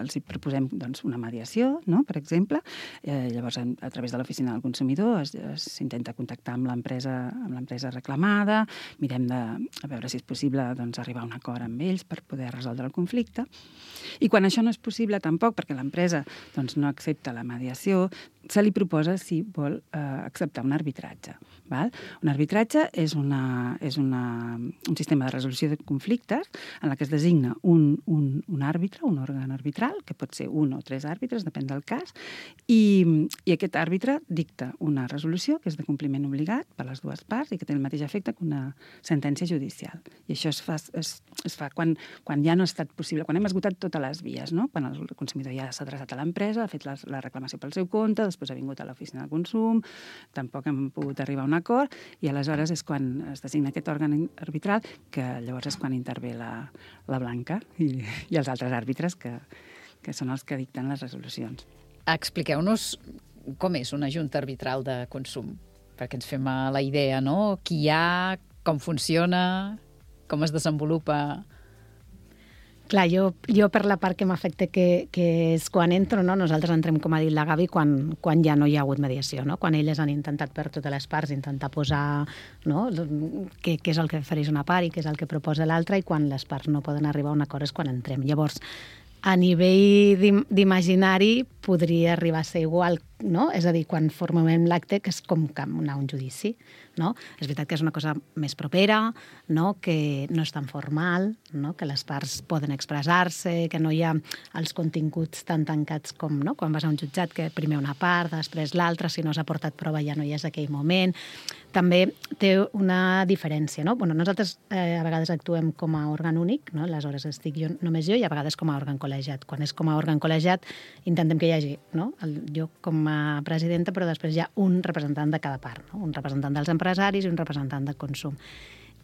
[SPEAKER 9] els hi proposem doncs, una mediació, no? Per exemple. Eh, llavors, a, a través de l'oficina del consumidor s'intenta contactar amb l'empresa amb l'empresa reclamada, mirem de a veure si és possible doncs, arribar a un acord amb ells per poder resoldre el conflicte. I quan això no és possible tampoc, perquè l'empresa doncs, no accepta la mediació, se li proposa si vol eh, acceptar un arbitratge. Val? Un arbitratge és, una, és una, un sistema de resolució de conflictes en la que es designa un, un, un àrbitre, un òrgan arbitral, que pot ser un o tres àrbitres, depèn del cas, i, i aquest àrbitre dicta una resolució que és de compliment obligat per les dues parts i que té el mateix efecte que una sentència judicial. I això es fa, es, es fa quan, quan ja no ha estat possible, quan hem esgotat totes les vies, no? Quan el consumidor ja s'ha adreçat a l'empresa, ha fet la, la reclamació pel seu compte, després ha vingut a l'oficina de consum, tampoc hem pogut arribar a un acord, i aleshores és quan es designa aquest òrgan arbitral, que llavors és quan intervé la, la Blanca i, i els altres àrbitres, que, que són els que dicten les resolucions.
[SPEAKER 3] Expliqueu-nos com és una junta arbitral de consum, perquè ens fem la idea, no? Qui hi ha, com funciona, com es desenvolupa.
[SPEAKER 10] Clar, jo, jo per la part que m'afecta, que, que és quan entro, no? Nosaltres entrem, com ha dit la Gavi, quan, quan ja no hi ha hagut mediació, no? Quan elles han intentat per totes les parts intentar posar, no? què, què és el que ofereix una part i què és el que proposa l'altra, i quan les parts no poden arribar a un acord és quan entrem. Llavors, a nivell d'imaginari podria arribar a ser igual, no? És a dir, quan formem l'acte, que és com anar a un judici, no? És veritat que és una cosa més propera, no? Que no és tan formal, no? Que les parts poden expressar-se, que no hi ha els continguts tan tancats com, no? Quan vas a un jutjat, que primer una part, després l'altra, si no s'ha portat prova ja no hi és aquell moment. També té una diferència, no? Bueno, nosaltres eh, a vegades actuem com a òrgan únic, no? Aleshores estic jo, només jo, i a vegades com a òrgan col·legiat. Quan és com a òrgan col·legiat intentem que hi hagi, no? El, jo com a presidenta, però després hi ha un representant de cada part, no? Un representant dels empresaris i un representant de consum.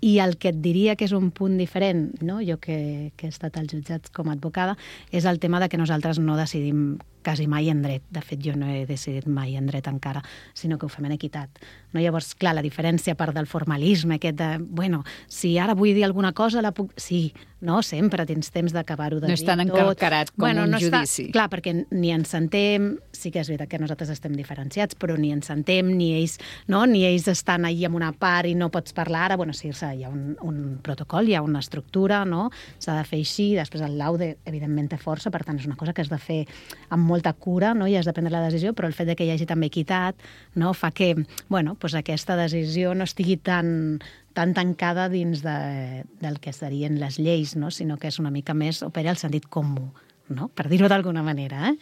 [SPEAKER 10] I el que et diria que és un punt diferent, no? Jo que, que he estat als jutjats com a advocada, és el tema de que nosaltres no decidim quasi mai en dret. De fet, jo no he decidit mai en dret encara, sinó que ho fem en equitat. No? Llavors, clar, la diferència, a part del formalisme, aquest de, bueno, si ara vull dir alguna cosa, la puc... Sí, no? Sempre tens temps d'acabar-ho de dir tot.
[SPEAKER 3] No és tan encarcarat com
[SPEAKER 10] bueno,
[SPEAKER 3] un
[SPEAKER 10] no
[SPEAKER 3] judici.
[SPEAKER 10] Està... Clar, perquè ni ens sentem, sí que és veritat que nosaltres estem diferenciats, però ni ens sentem, ni ells, no? Ni ells estan allà amb una part i no pots parlar ara. Bueno, sí, hi ha un, un protocol, hi ha una estructura, no? S'ha de fer així, després el laude, evidentment, té força, per tant, és una cosa que has de fer amb molta cura, no? I has de prendre la decisió, però el fet de que hi hagi també equitat, no? Fa que, bueno, doncs aquesta decisió no estigui tan, tan tancada dins de, del que serien les lleis, no? Sinó que és una mica més, opera el sentit comú, no? Per dir-ho d'alguna manera, eh?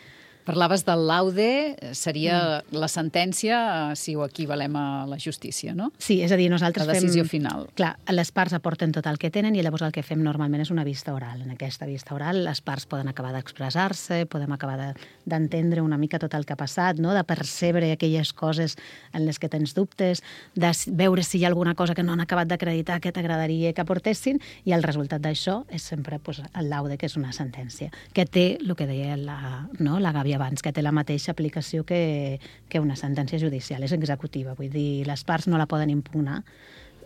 [SPEAKER 3] Parlaves del laude, seria mm. la sentència si ho equivalem a la justícia, no?
[SPEAKER 10] Sí, és a dir, nosaltres
[SPEAKER 3] fem... La decisió
[SPEAKER 10] fem...
[SPEAKER 3] final.
[SPEAKER 10] Clar, les parts aporten tot el que tenen i llavors el que fem normalment és una vista oral. En aquesta vista oral les parts poden acabar d'expressar-se, podem acabar d'entendre una mica tot el que ha passat, no? De percebre aquelles coses en les que tens dubtes, de veure si hi ha alguna cosa que no han acabat d'acreditar que t'agradaria que aportessin, i el resultat d'això és sempre pues, el laude, que és una sentència, que té el que deia la, no? la Gavi abans, que té la mateixa aplicació que, que una sentència judicial, és executiva, vull dir, les parts no la poden impugnar.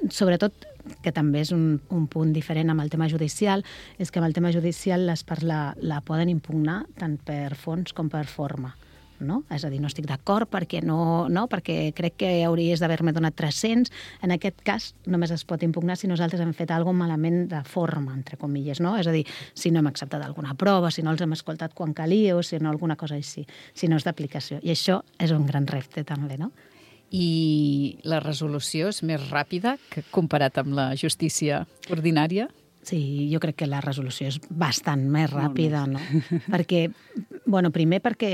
[SPEAKER 10] Sobretot, que també és un, un punt diferent amb el tema judicial, és que amb el tema judicial les parts la, la poden impugnar tant per fons com per forma. No? És a dir, no estic d'acord perquè, no, no, perquè crec que hauries d'haver-me donat tres-cents. En aquest cas només es pot impugnar si nosaltres hem fet alguna cosa malament de forma, entre comilles, no? És a dir, si no hem acceptat alguna prova, si no els hem escoltat quan calia o si no alguna cosa així, si no és d'aplicació. I això és un gran repte també, no?
[SPEAKER 3] I la resolució és més ràpida que comparat amb la justícia ordinària?
[SPEAKER 10] Sí, jo crec que la resolució és bastant més ràpida, no? Perquè, bueno, primer perquè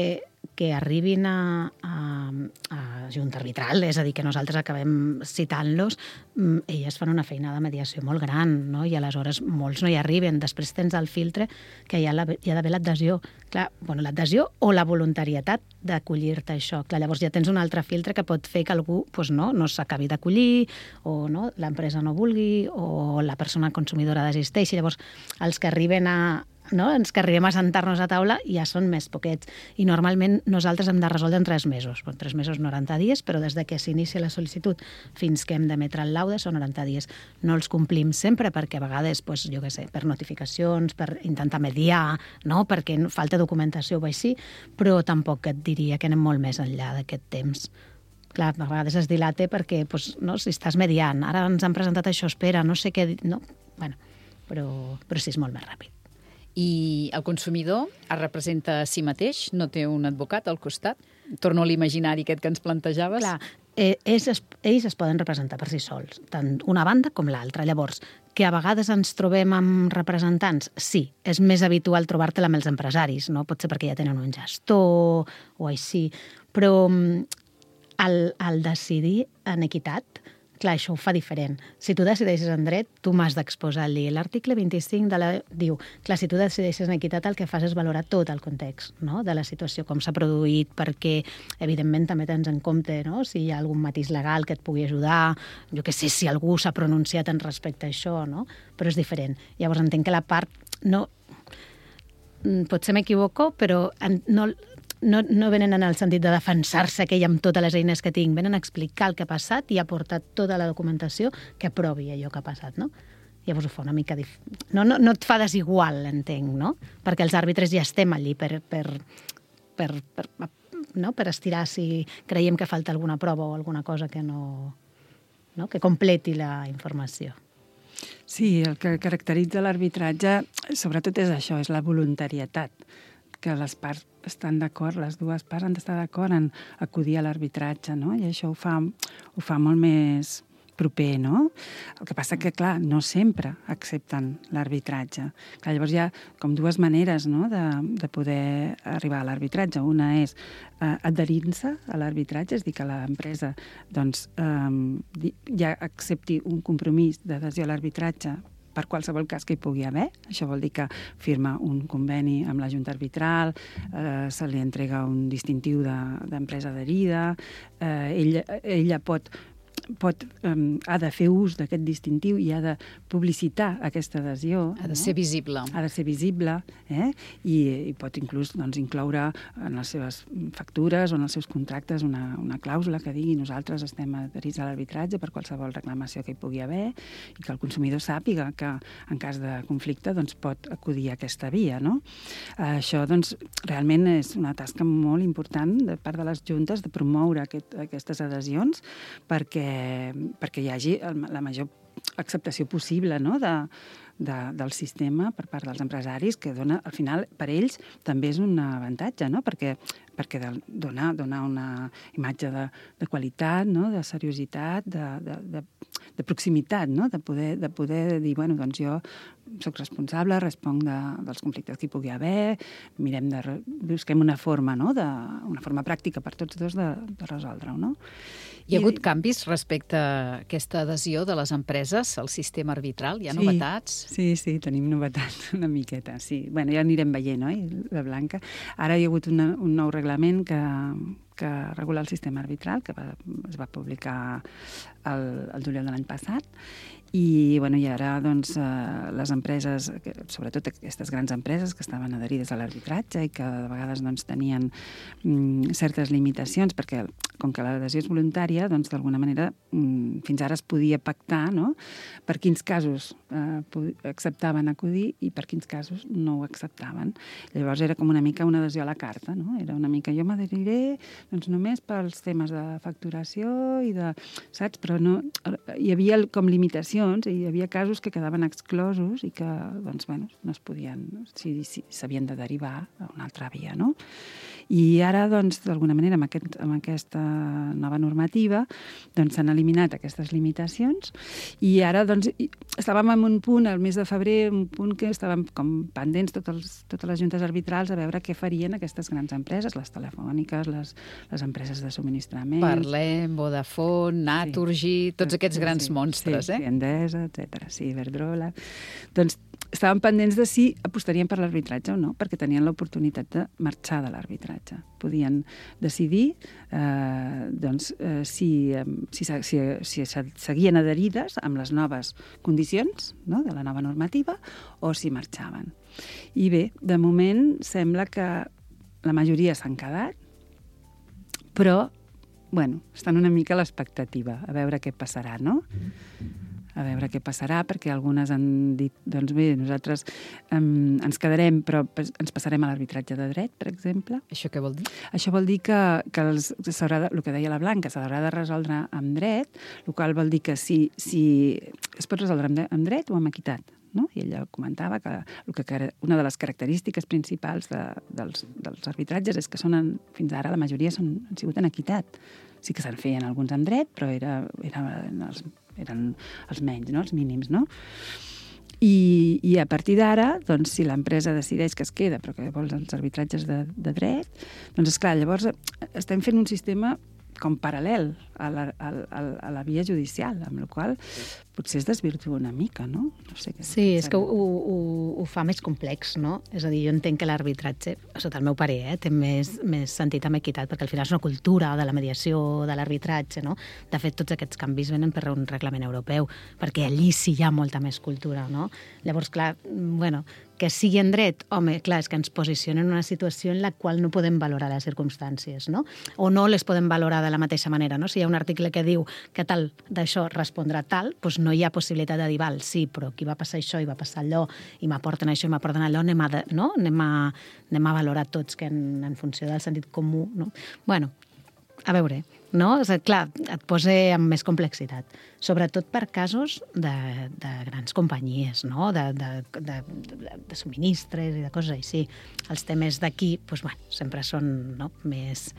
[SPEAKER 10] que arribin a, a, a Junta Arbitral, és a dir, que nosaltres acabem citant-los, elles fan una feina de mediació molt gran, no? I aleshores molts no hi arriben. Després tens el filtre que hi ha, la, hi ha d'haver l'adhesió. Clar, bueno, l'adhesió o la voluntarietat d'acollir-te a això. Clar, llavors ja tens un altre filtre que pot fer que algú pues no, no s'acabi d'acollir, o no, l'empresa no vulgui, o la persona consumidora desisteixi. Llavors, els que arriben a no? ens que arribem a sentar-nos a taula ja són més poquets. I normalment nosaltres hem de resoldre en tres mesos. Bon, tres mesos, noranta dies, però des de que s'inicia la sol·licitud fins que hem d'emetre el laude són noranta dies. No els complim sempre perquè a vegades, pues, jo què sé, per notificacions, per intentar mediar, no? Perquè falta documentació o així, però tampoc et diria que anem molt més enllà d'aquest temps. Clar, a vegades es dilata perquè pues, no? si estàs mediant, ara ens han presentat això, espera, no sé què... No? Bueno, però, però sí, és molt més ràpid.
[SPEAKER 3] I el consumidor es representa a si mateix, no té un advocat al costat? Torno a l'imaginari aquest que ens plantejaves.
[SPEAKER 10] Clar, eh, ells, es, ells es poden representar per si sols, tant una banda com l'altra. Llavors, que a vegades ens trobem amb representants, sí, és més habitual trobar-te-la amb els empresaris, no? Pot ser perquè ja tenen un gestor o així, però al, al decidir en equitat, clar, això ho fa diferent. Si tu decideixes en dret, tu m'has d'exposar-li. L'article vint-i-cinc de la... diu, clar, si tu decideixes en equitat, el que fas és valorar tot el context, no? De la situació, com s'ha produït, perquè, evidentment, també tens en compte, no? Si hi ha algun matís legal que et pugui ajudar, jo què sé, si algú s'ha pronunciat en respecte a això, no? Però és diferent. Llavors, entenc que la part... no, potser m'equivoco, però no... No, no venen en el sentit de defensar-se aquell amb totes les eines que tinc, venen a explicar el que ha passat i aportar tota la documentació que aprovi allò que ha passat, no? Llavors ho fa una mica... Dif... No, no, no et fa desigual, entenc, no? Perquè els àrbitres ja estem allí per, per, per, per, no? per estirar si creiem que falta alguna prova o alguna cosa que no... no? que completi la informació.
[SPEAKER 9] Sí, el que caracteritza l'arbitratge sobretot és això, és la voluntarietat, que les parts estan d'acord, les dues parts han d'estar d'acord en acudir a l'arbitratge, no? I això ho fa, ho fa molt més proper, no? El que passa que, clar, no sempre accepten l'arbitratge. Clar, llavors hi ha com dues maneres, no?, de, de poder arribar a l'arbitratge. Una és eh, adherir-se a l'arbitratge, és dir, que l'empresa doncs, eh, ja accepti un compromís d'adhesió a l'arbitratge per qualsevol cas que hi pugui haver. Això vol dir que firma un conveni amb la Junta Arbitral, eh, se li entrega un distintiu d'empresa de, adherida, eh, ella, ella pot... pot, um, ha de fer ús d'aquest distintiu i ha de publicitar aquesta adhesió.
[SPEAKER 3] Ha de
[SPEAKER 9] no?
[SPEAKER 3] ser visible.
[SPEAKER 9] Ha de ser visible, eh? I, i pot inclús doncs, incloure en les seves factures o en els seus contractes una, una clàusula que digui nosaltres estem adherits a l'arbitratge per qualsevol reclamació que hi pugui haver i que el consumidor sàpiga que en cas de conflicte doncs, pot acudir a aquesta via. No? Això doncs, realment és una tasca molt important de part de les juntes de promoure aquest, aquestes adhesions perquè perquè hi hagi la major acceptació possible, no?, de, de, del sistema per part dels empresaris, que dona, al final, per ells també és un avantatge, no? Perquè, perquè de, dona, dona una imatge de, de qualitat, no? De seriositat, de, de, de, de proximitat, no? De poder, de poder dir, bueno, doncs jo soc responsable, responc de, dels conflictes que hi pugui haver, mirem de... busquem una forma, no? De, una forma pràctica per tots dos de, de resoldre-ho, no?
[SPEAKER 3] Hi ha hagut canvis respecte a aquesta adhesió de les empreses al sistema arbitral? Hi ha novetats?
[SPEAKER 9] Sí, sí, tenim novetats una miqueta, sí. Bueno, ja anirem veient, oi, la Blanca? Ara hi ha hagut una, un nou reglament que, que regula el sistema arbitral, que va, es va publicar el, el juliol de l'any passat, i, bueno, i ara doncs, eh, les empreses, sobretot aquestes grans empreses que estaven adherides a l'arbitratge i que de vegades doncs, tenien mm, certes limitacions, perquè com que l'adhesió és voluntària, doncs d'alguna manera mm, fins ara es podia pactar, no?, per quins casos eh, acceptaven acudir i per quins casos no ho acceptaven. Llavors era com una mica una adhesió a la carta, no? Era una mica jo m'adheriré doncs, només pels temes de facturació i de... saps? Però no... hi havia com limitacions i hi havia casos que quedaven exclosos i que, doncs, bueno, no es podien... si, si, s'havien de derivar a una altra via, no? I ara, doncs, d'alguna manera, amb, aquest, amb aquesta nova normativa, doncs s'han eliminat aquestes limitacions i ara, doncs, estàvem en un punt, al mes de febrer, un punt que estàvem com pendents tots els, totes les juntes arbitrals a veure què farien aquestes grans empreses, les telefòniques, les, les empreses de subministrament...
[SPEAKER 3] Parlem, Vodafone, Naturgy, sí, tots aquests grans
[SPEAKER 9] sí,
[SPEAKER 3] monstres,
[SPEAKER 9] sí,
[SPEAKER 3] eh?
[SPEAKER 9] Sí, Endesa, etcètera, sí, Iberdrola... Doncs estàvem pendents de si apostarien per l'arbitratge o no, perquè tenien l'oportunitat de marxar de l'arbitratge. Podien decidir eh, doncs, eh, si, si, si, si seguien adherides amb les noves condicions, no?, de la nova normativa o si marxaven. I bé, de moment sembla que la majoria s'han quedat, però bueno, estan una mica a l'expectativa, a veure què passarà, no? A veure què passarà, perquè algunes han dit, doncs bé, nosaltres um, ens quedarem, però ens passarem a l'arbitratge de dret, per exemple.
[SPEAKER 3] Això què vol dir?
[SPEAKER 9] Això vol dir que, que els, s'haurà de, el que deia la Blanca, s'haurà de resoldre amb dret, el qual vol dir que si, si es pot resoldre amb, amb dret o amb equitat. No? I ella comentava que, el que una de les característiques principals de, dels, dels arbitratges és que són en, fins ara la majoria són, han sigut en equitat. Sí que se'n feien alguns amb dret, però era, era, els, eren els menys, no? Els mínims, no? I, i a partir d'ara, doncs, si l'empresa decideix que es queda, però que vols els arbitratges de, de dret, doncs, esclar, llavors estem fent un sistema com paral·lel a la, a, a la via judicial, amb la qual potser es desvirtua una mica, no? No sé què.
[SPEAKER 10] Sí, és que ho, ho, ho fa més complex, no? És a dir, jo entenc que l'arbitratge, sota el meu parer, eh, té més, més sentit amb equitat, perquè al final és una cultura de la mediació, de l'arbitratge, no? De fet, tots aquests canvis venen per un reglament europeu, perquè allí sí hi ha molta més cultura, no? Llavors, clar, bueno, que sigui en dret, home, clar, és que ens posiciona en una situació en la qual no podem valorar les circumstàncies, no? O no les podem valorar de la mateixa manera, no? Si hi ha un article que diu que tal d'això respondrà tal, doncs no hi ha possibilitat de dir, val, sí, però aquí va passar això i va passar allò, i m'aporten això i m'aporten allò, anem a, no? anem a, anem a valorar tots que en, en funció del sentit comú, no? Bueno, a veure, no? És, clar, et posa amb més complexitat, sobretot per casos de, de grans companyies, no? De, de, de, de, de subministres i de coses així. Els temes d'aquí, doncs, bueno, sempre són, no? més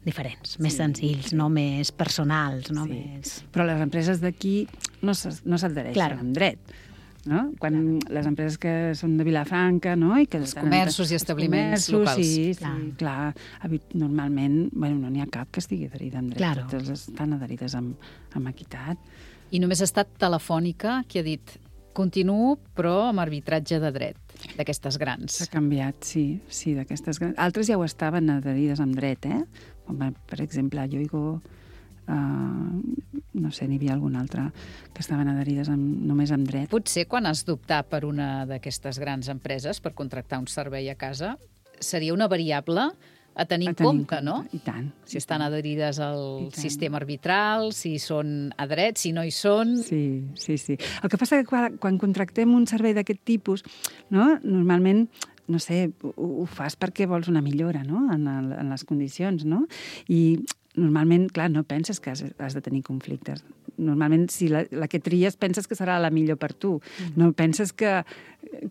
[SPEAKER 10] diferents, més sí. senzills, no més personals, no
[SPEAKER 9] sí.
[SPEAKER 10] més...
[SPEAKER 9] Però les empreses d'aquí no s'adhereixen claro. amb dret. No? Quan claro. les empreses que són de Vilafranca, no? I que
[SPEAKER 3] els comerços i establiments
[SPEAKER 9] comerços,
[SPEAKER 3] locals.
[SPEAKER 9] Sí, clar. sí, clar. Normalment, bueno, no n'hi ha cap que estigui adherida amb dret.
[SPEAKER 10] Claro.
[SPEAKER 9] Totes estan adherides amb, amb equitat.
[SPEAKER 3] I només ha estat Telefònica qui ha dit continuo, però amb arbitratge de dret, d'aquestes grans.
[SPEAKER 9] S'ha canviat, sí, sí, d'aquestes grans. Altres ja ho estaven adherides amb dret, eh? Com, per exemple, Yoigo, uh, no sé, n'hi havia alguna altra que estaven adherides amb, només amb dret.
[SPEAKER 3] Potser quan has d'optar per una d'aquestes grans empreses per contractar un servei a casa, seria una variable a tenir en compte, no?
[SPEAKER 9] I tant.
[SPEAKER 3] Si estan adherides al sistema arbitral, si són a dret, si no hi són...
[SPEAKER 9] Sí, sí, sí. El que passa que quan, quan contractem un servei d'aquest tipus, no? Normalment, no sé, ho, ho fas perquè vols una millora, no? En, el, en les condicions, no? I normalment, clar, no penses que has, has de tenir conflictes. Normalment, si la, la que tries, penses que serà la millor per tu. Mm. No penses que,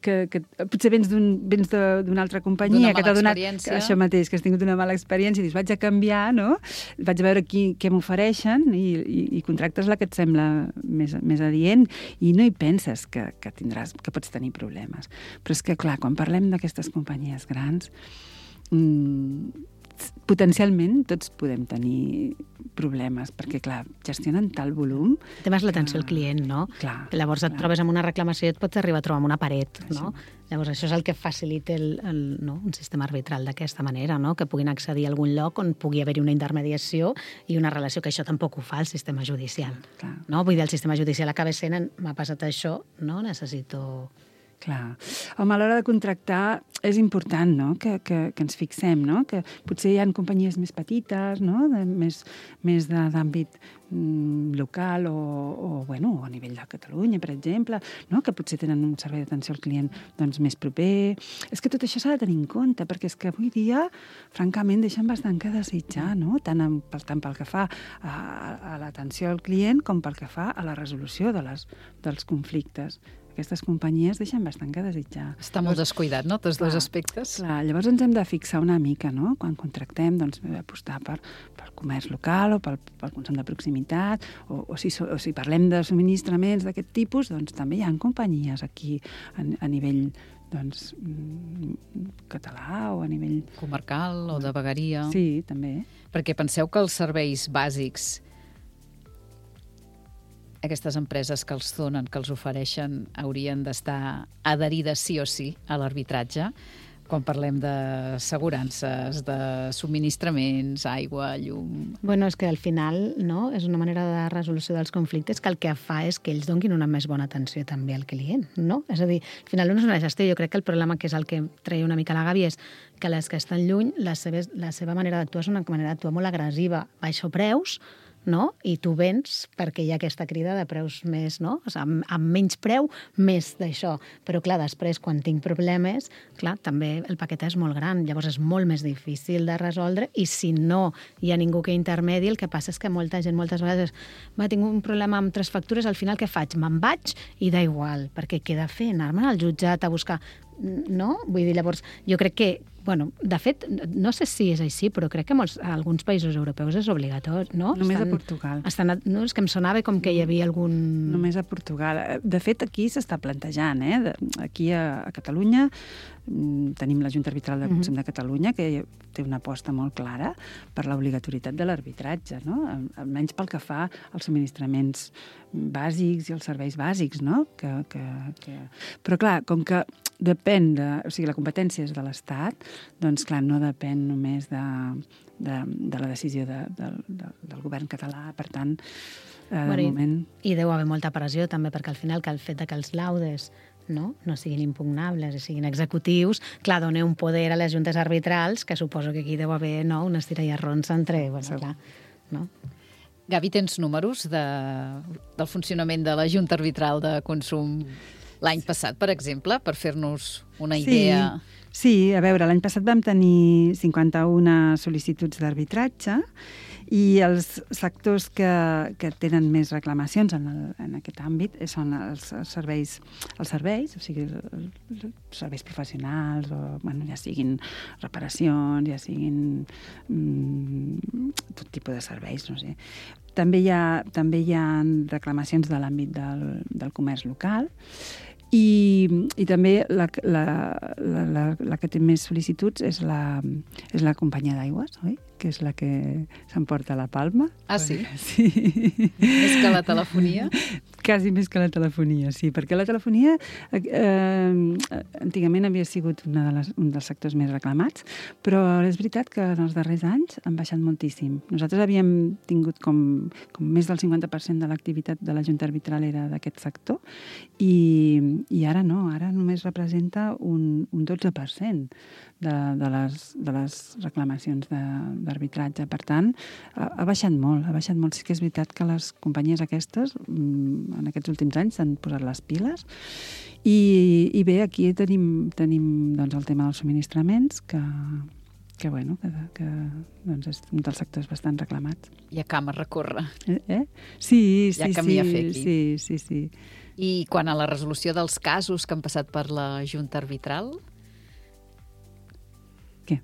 [SPEAKER 9] que, que potser vens d'una un, altra companyia que t'ha donat això mateix, que has tingut una mala experiència i dius, vaig a canviar, no? Vaig a veure qui, què m'ofereixen i, i, i contractes la que et sembla més, més adient i no hi penses que, que, tindràs, que pots tenir problemes. Però és que, clar, quan parlem d'aquestes companyies grans, mmm, potencialment tots podem tenir problemes, perquè, clar, gestionen tal volum...
[SPEAKER 10] El tema és l'atenció al client, no?
[SPEAKER 9] Clar.
[SPEAKER 10] Llavors et
[SPEAKER 9] clar.
[SPEAKER 10] trobes amb una reclamació i et pots arribar a trobar amb una paret, no? Llavors això és el que facilita el, el, no? un sistema arbitral d'aquesta manera, no? Que puguin accedir a algun lloc on pugui haver-hi una intermediació i una relació, que això tampoc ho fa el sistema judicial.
[SPEAKER 9] Clar.
[SPEAKER 10] No? Vull dir, el sistema judicial acaba sent, m'ha passat això, no? Necessito...
[SPEAKER 9] Clar. Home, a l'hora de contractar és important, no?, que, que, que ens fixem, no?, que potser hi ha companyies més petites, no?, de, més, més d'àmbit mm, local o, o, bueno, a nivell de Catalunya, per exemple, no?, que potser tenen un servei d'atenció al client doncs, més proper. És que tot això s'ha de tenir en compte, perquè és que avui dia, francament, deixen bastant que desitjar, no?, tant, en, tant pel que fa a, a l'atenció al client com pel que fa a la resolució de les, dels conflictes. Aquestes companyies deixen bastant que desitjar.
[SPEAKER 3] Està molt descuidat, no?, tots dos aspectes.
[SPEAKER 9] Clar, llavors ens hem de fixar una mica, no?, quan contractem, doncs, apostar per, pel comerç local o pel, pel consum de proximitat, o, o, si, o si parlem de subministraments d'aquest tipus, doncs també hi ha companyies aquí a, a nivell doncs, català o a nivell...
[SPEAKER 3] comarcal o de vegueria.
[SPEAKER 9] Sí, també.
[SPEAKER 3] Perquè penseu que els serveis bàsics, aquestes empreses que els donen, que els ofereixen, haurien d'estar adherides sí o sí a l'arbitratge, quan parlem d'assegurances, de subministraments, aigua, llum...
[SPEAKER 10] Bueno, és que al final, no?, és una manera de resolució dels conflictes que el que fa és que ells donin una més bona atenció també al client, no? És a dir, al final no és una gestió. Jo crec que el problema, que és el que treia una mica la Gavi, és que les que estan lluny, la seva, la seva manera d'actuar és una manera d'actuar molt agressiva. Baixo preus, no? I tu vens perquè hi ha aquesta crida de preus més, no? O sigui, amb, amb menys preu, més d'això. Però, clar, després, quan tinc problemes, clar, també el paquet és molt gran, llavors és molt més difícil de resoldre, i si no hi ha ningú que intermedi, el que passa és que molta gent moltes vegades va, tinc un problema amb tres factures, al final què faig? Me'n vaig i da igual, perquè què he de fer? Anar-me'n al jutjat a buscar... No? Vull dir, llavors, jo crec que, bueno, de fet, no sé si és així, però crec que molts, a alguns països europeus és obligatori, no?
[SPEAKER 9] Només
[SPEAKER 10] estan,
[SPEAKER 9] a Portugal.
[SPEAKER 10] Estan, no, és que em sonava com que hi havia algun...
[SPEAKER 9] Només a Portugal. De fet, aquí s'està plantejant, eh? Aquí a, a Catalunya tenim la Junta Arbitral de Consum de Catalunya, que té una aposta molt clara per l'obligatorietat de l'arbitratge, no? Almenys pel que fa als subministraments bàsics i els serveis bàsics, no? Que, que, que... Però, clar, com que depèn de... O sigui, la competència és de l'Estat, doncs, clar, no depèn només de, de, de la decisió de, de, de, del govern català. Per tant, eh,
[SPEAKER 10] bueno,
[SPEAKER 9] de moment...
[SPEAKER 10] I, I deu haver molta pressió, també, perquè al final que el fet de que els laudes no, no siguin impugnables i siguin executius, clar, dona un poder a les juntes arbitrals, que suposo que aquí deu haver, no, unes tirallarrons entre... Bueno, sí. Clar, no?
[SPEAKER 3] Gavi, tens números de, del funcionament de la Junta Arbitral de Consum l'any passat, per exemple, per fer-nos una idea?
[SPEAKER 9] Sí, sí, a veure, l'any passat vam tenir cinquanta-una sol·licituds d'arbitratge i els sectors que, que tenen més reclamacions en, el, en aquest àmbit són els, els serveis, els serveis, o sigui, els serveis professionals, o, bueno, ja siguin reparacions, ja siguin mm, tot tipus de serveis, no sé. També hi ha, també hi ha reclamacions de l'àmbit del, del comerç local, i, i també la, la, la, la, la que té més sol·licituds és la, és la companyia d'aigües, oi? Que és la que s'emporta la palma.
[SPEAKER 3] Ah, sí?
[SPEAKER 9] Sí.
[SPEAKER 3] Més que la telefonia?
[SPEAKER 9] Quasi més que la telefonia, sí, perquè la telefonia eh, antigament havia sigut una de les, un dels sectors més reclamats, però és veritat que en els darrers anys han baixat moltíssim. Nosaltres havíem tingut com, com més del cinquanta per cent de l'activitat de la Junta Arbitral era d'aquest sector, i, i ara no, ara només representa un, un dotze per cent de, de, les, de les reclamacions de, d'arbitratge. Per tant, ha, ha baixat molt, ha baixat molt. Sí que és veritat que les companyies aquestes en aquests últims anys s'han posat les piles i, i bé, aquí tenim, tenim doncs, el tema dels subministraments, que, que, bueno, que, que doncs és un dels sectors bastant reclamats.
[SPEAKER 3] Hi ha camp a recórrer.
[SPEAKER 9] Eh? eh? Sí, sí,
[SPEAKER 3] Hi ha camí
[SPEAKER 9] sí,
[SPEAKER 3] a fer aquí.
[SPEAKER 9] sí, sí, sí.
[SPEAKER 3] I quan a la resolució dels casos que han passat per la Junta Arbitral...
[SPEAKER 9] Què?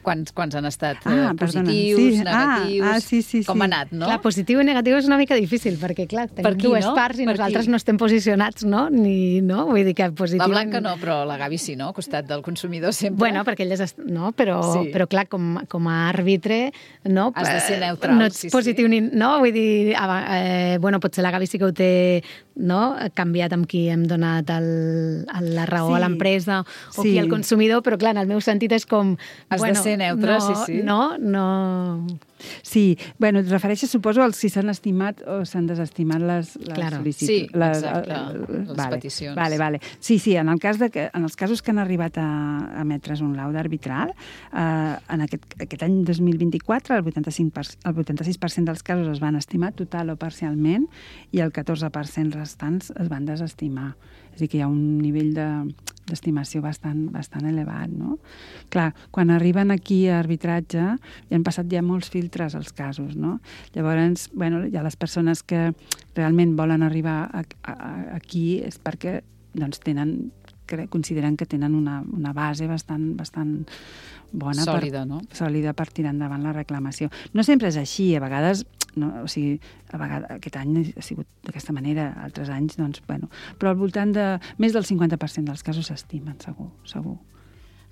[SPEAKER 3] Quants, quants han estat
[SPEAKER 9] Ah,
[SPEAKER 3] eh,
[SPEAKER 9] perdona.
[SPEAKER 3] positius,
[SPEAKER 9] Sí.
[SPEAKER 3] negatius...
[SPEAKER 9] Ah, ah, sí, sí,
[SPEAKER 3] Com
[SPEAKER 9] sí.
[SPEAKER 3] ha anat, no?
[SPEAKER 10] Clar, positiu i negatiu és una mica difícil, perquè, clar, tenim
[SPEAKER 3] Per qui,
[SPEAKER 10] dues
[SPEAKER 3] no?
[SPEAKER 10] parts i
[SPEAKER 3] Per
[SPEAKER 10] nosaltres
[SPEAKER 3] qui?
[SPEAKER 10] no estem posicionats, no? Ni, no? Vull dir que positiu...
[SPEAKER 3] La Blanca no, però la Gavi sí, no? Al costat del consumidor sempre.
[SPEAKER 10] Bueno, perquè ell és... No, però,
[SPEAKER 3] Sí.
[SPEAKER 10] però clar, com, com a àrbitre, no?
[SPEAKER 3] Has de ser
[SPEAKER 10] Eh,
[SPEAKER 3] neutral,
[SPEAKER 10] no ets
[SPEAKER 3] sí, sí.
[SPEAKER 10] positiu ni... No? Vull dir, eh, bueno, potser la Gavi sí que ho té, no? Canviat amb qui hem donat el, el, la raó
[SPEAKER 9] Sí.
[SPEAKER 10] a l'empresa o
[SPEAKER 9] Sí.
[SPEAKER 10] qui al consumidor, però clar, en el meu sentit és com...
[SPEAKER 3] Has de
[SPEAKER 10] bueno,
[SPEAKER 3] ser neutre,
[SPEAKER 10] no,
[SPEAKER 3] sí, sí.
[SPEAKER 10] No, no...
[SPEAKER 9] Sí, bueno, et refereixes, suposo, als si s'han estimat o s'han desestimat les, les
[SPEAKER 10] Claro.
[SPEAKER 9] sol·licituds.
[SPEAKER 3] Sí,
[SPEAKER 9] les,
[SPEAKER 3] exacte,
[SPEAKER 9] eh,
[SPEAKER 3] les
[SPEAKER 9] vale,
[SPEAKER 3] peticions.
[SPEAKER 9] Vale, vale. Sí, sí, en, el cas de que, en els casos que han arribat a, a emetre's un laude arbitral, eh, en aquest, aquest any dos mil vint-i-quatre el vuitanta-cinc per cent, el vuitanta-sis per cent dels casos es van estimar total o parcialment i el catorze per cent restants es van desestimar. És a dir, que hi ha un nivell de, d'estimació bastant, bastant elevat, no? Clar, quan arriben aquí a arbitratge hi han passat ja molts filtres als casos, no? Llavors, bueno, hi ha les persones que realment volen arribar a, a, a, aquí és perquè doncs, tenen, cre, consideren que tenen una, una base bastant, bastant bona,
[SPEAKER 3] Sòlida,
[SPEAKER 9] per,
[SPEAKER 3] no?
[SPEAKER 9] sòlida per tirar endavant la reclamació. No sempre és així, a vegades, no, o sigui, a vegades, aquest any ha sigut d'aquesta manera, altres anys, doncs, bueno, però al voltant de més del cinquanta per cent dels casos s'estimen, segur, segur.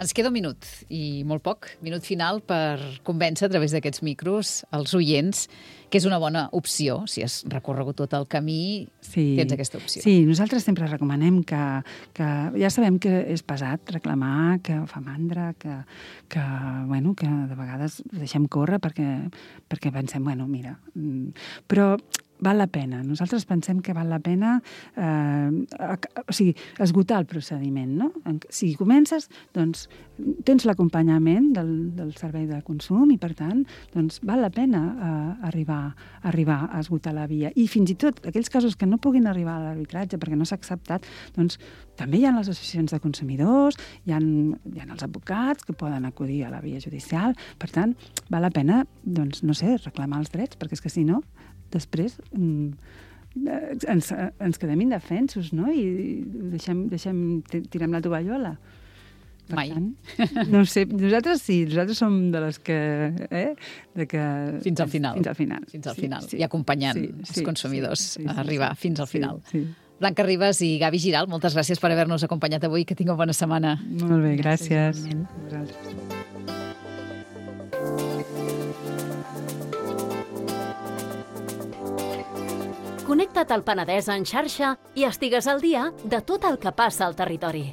[SPEAKER 3] Ens queda un minut, i molt poc, minut final per convèncer a través d'aquests micros els oients que és una bona opció. Si has recorregut tot el camí,
[SPEAKER 9] Sí.
[SPEAKER 3] tens aquesta opció.
[SPEAKER 9] Sí, nosaltres sempre recomanem que, que ja sabem que és pesat reclamar, que fa mandra, que, que, bueno, que de vegades deixem córrer perquè, perquè pensem, bueno, mira, però val la pena. Nosaltres pensem que val la pena eh, o sigui, esgotar el procediment, no? Si comences, doncs tens l'acompanyament del, del servei de consum i, per tant, doncs val la pena eh, arribar, arribar a esgotar la via. I fins i tot aquells casos que no puguin arribar a l'arbitratge perquè no s'ha acceptat, doncs també hi ha les associacions de consumidors, hi ha, hi ha els advocats que poden acudir a la via judicial. Per tant, val la pena, doncs, no sé, reclamar els drets, perquè és que si no, després ens, ens quedem indefensos, no? I deixem, deixem, tirem la tovallola. Per
[SPEAKER 3] Mai.
[SPEAKER 9] Tant, no ho sé, nosaltres sí, nosaltres som de les que... Eh, de que
[SPEAKER 3] Fins al final.
[SPEAKER 9] Fins al final.
[SPEAKER 3] Fins al
[SPEAKER 9] Sí,
[SPEAKER 3] final.
[SPEAKER 9] sí.
[SPEAKER 3] I acompanyant
[SPEAKER 9] Sí,
[SPEAKER 3] els
[SPEAKER 9] sí,
[SPEAKER 3] consumidors
[SPEAKER 9] sí, sí,
[SPEAKER 3] a
[SPEAKER 9] sí,
[SPEAKER 3] arribar
[SPEAKER 9] sí,
[SPEAKER 3] fins al
[SPEAKER 9] sí,
[SPEAKER 3] final.
[SPEAKER 9] Sí.
[SPEAKER 3] Blanca Ribas i Gavi Giral, moltes gràcies per haver-nos acompanyat avui. Que tingueu bona setmana.
[SPEAKER 9] Molt bé, gràcies. gràcies.
[SPEAKER 2] Connecta't al Penedès en xarxa i estigues al dia de tot el que passa al territori.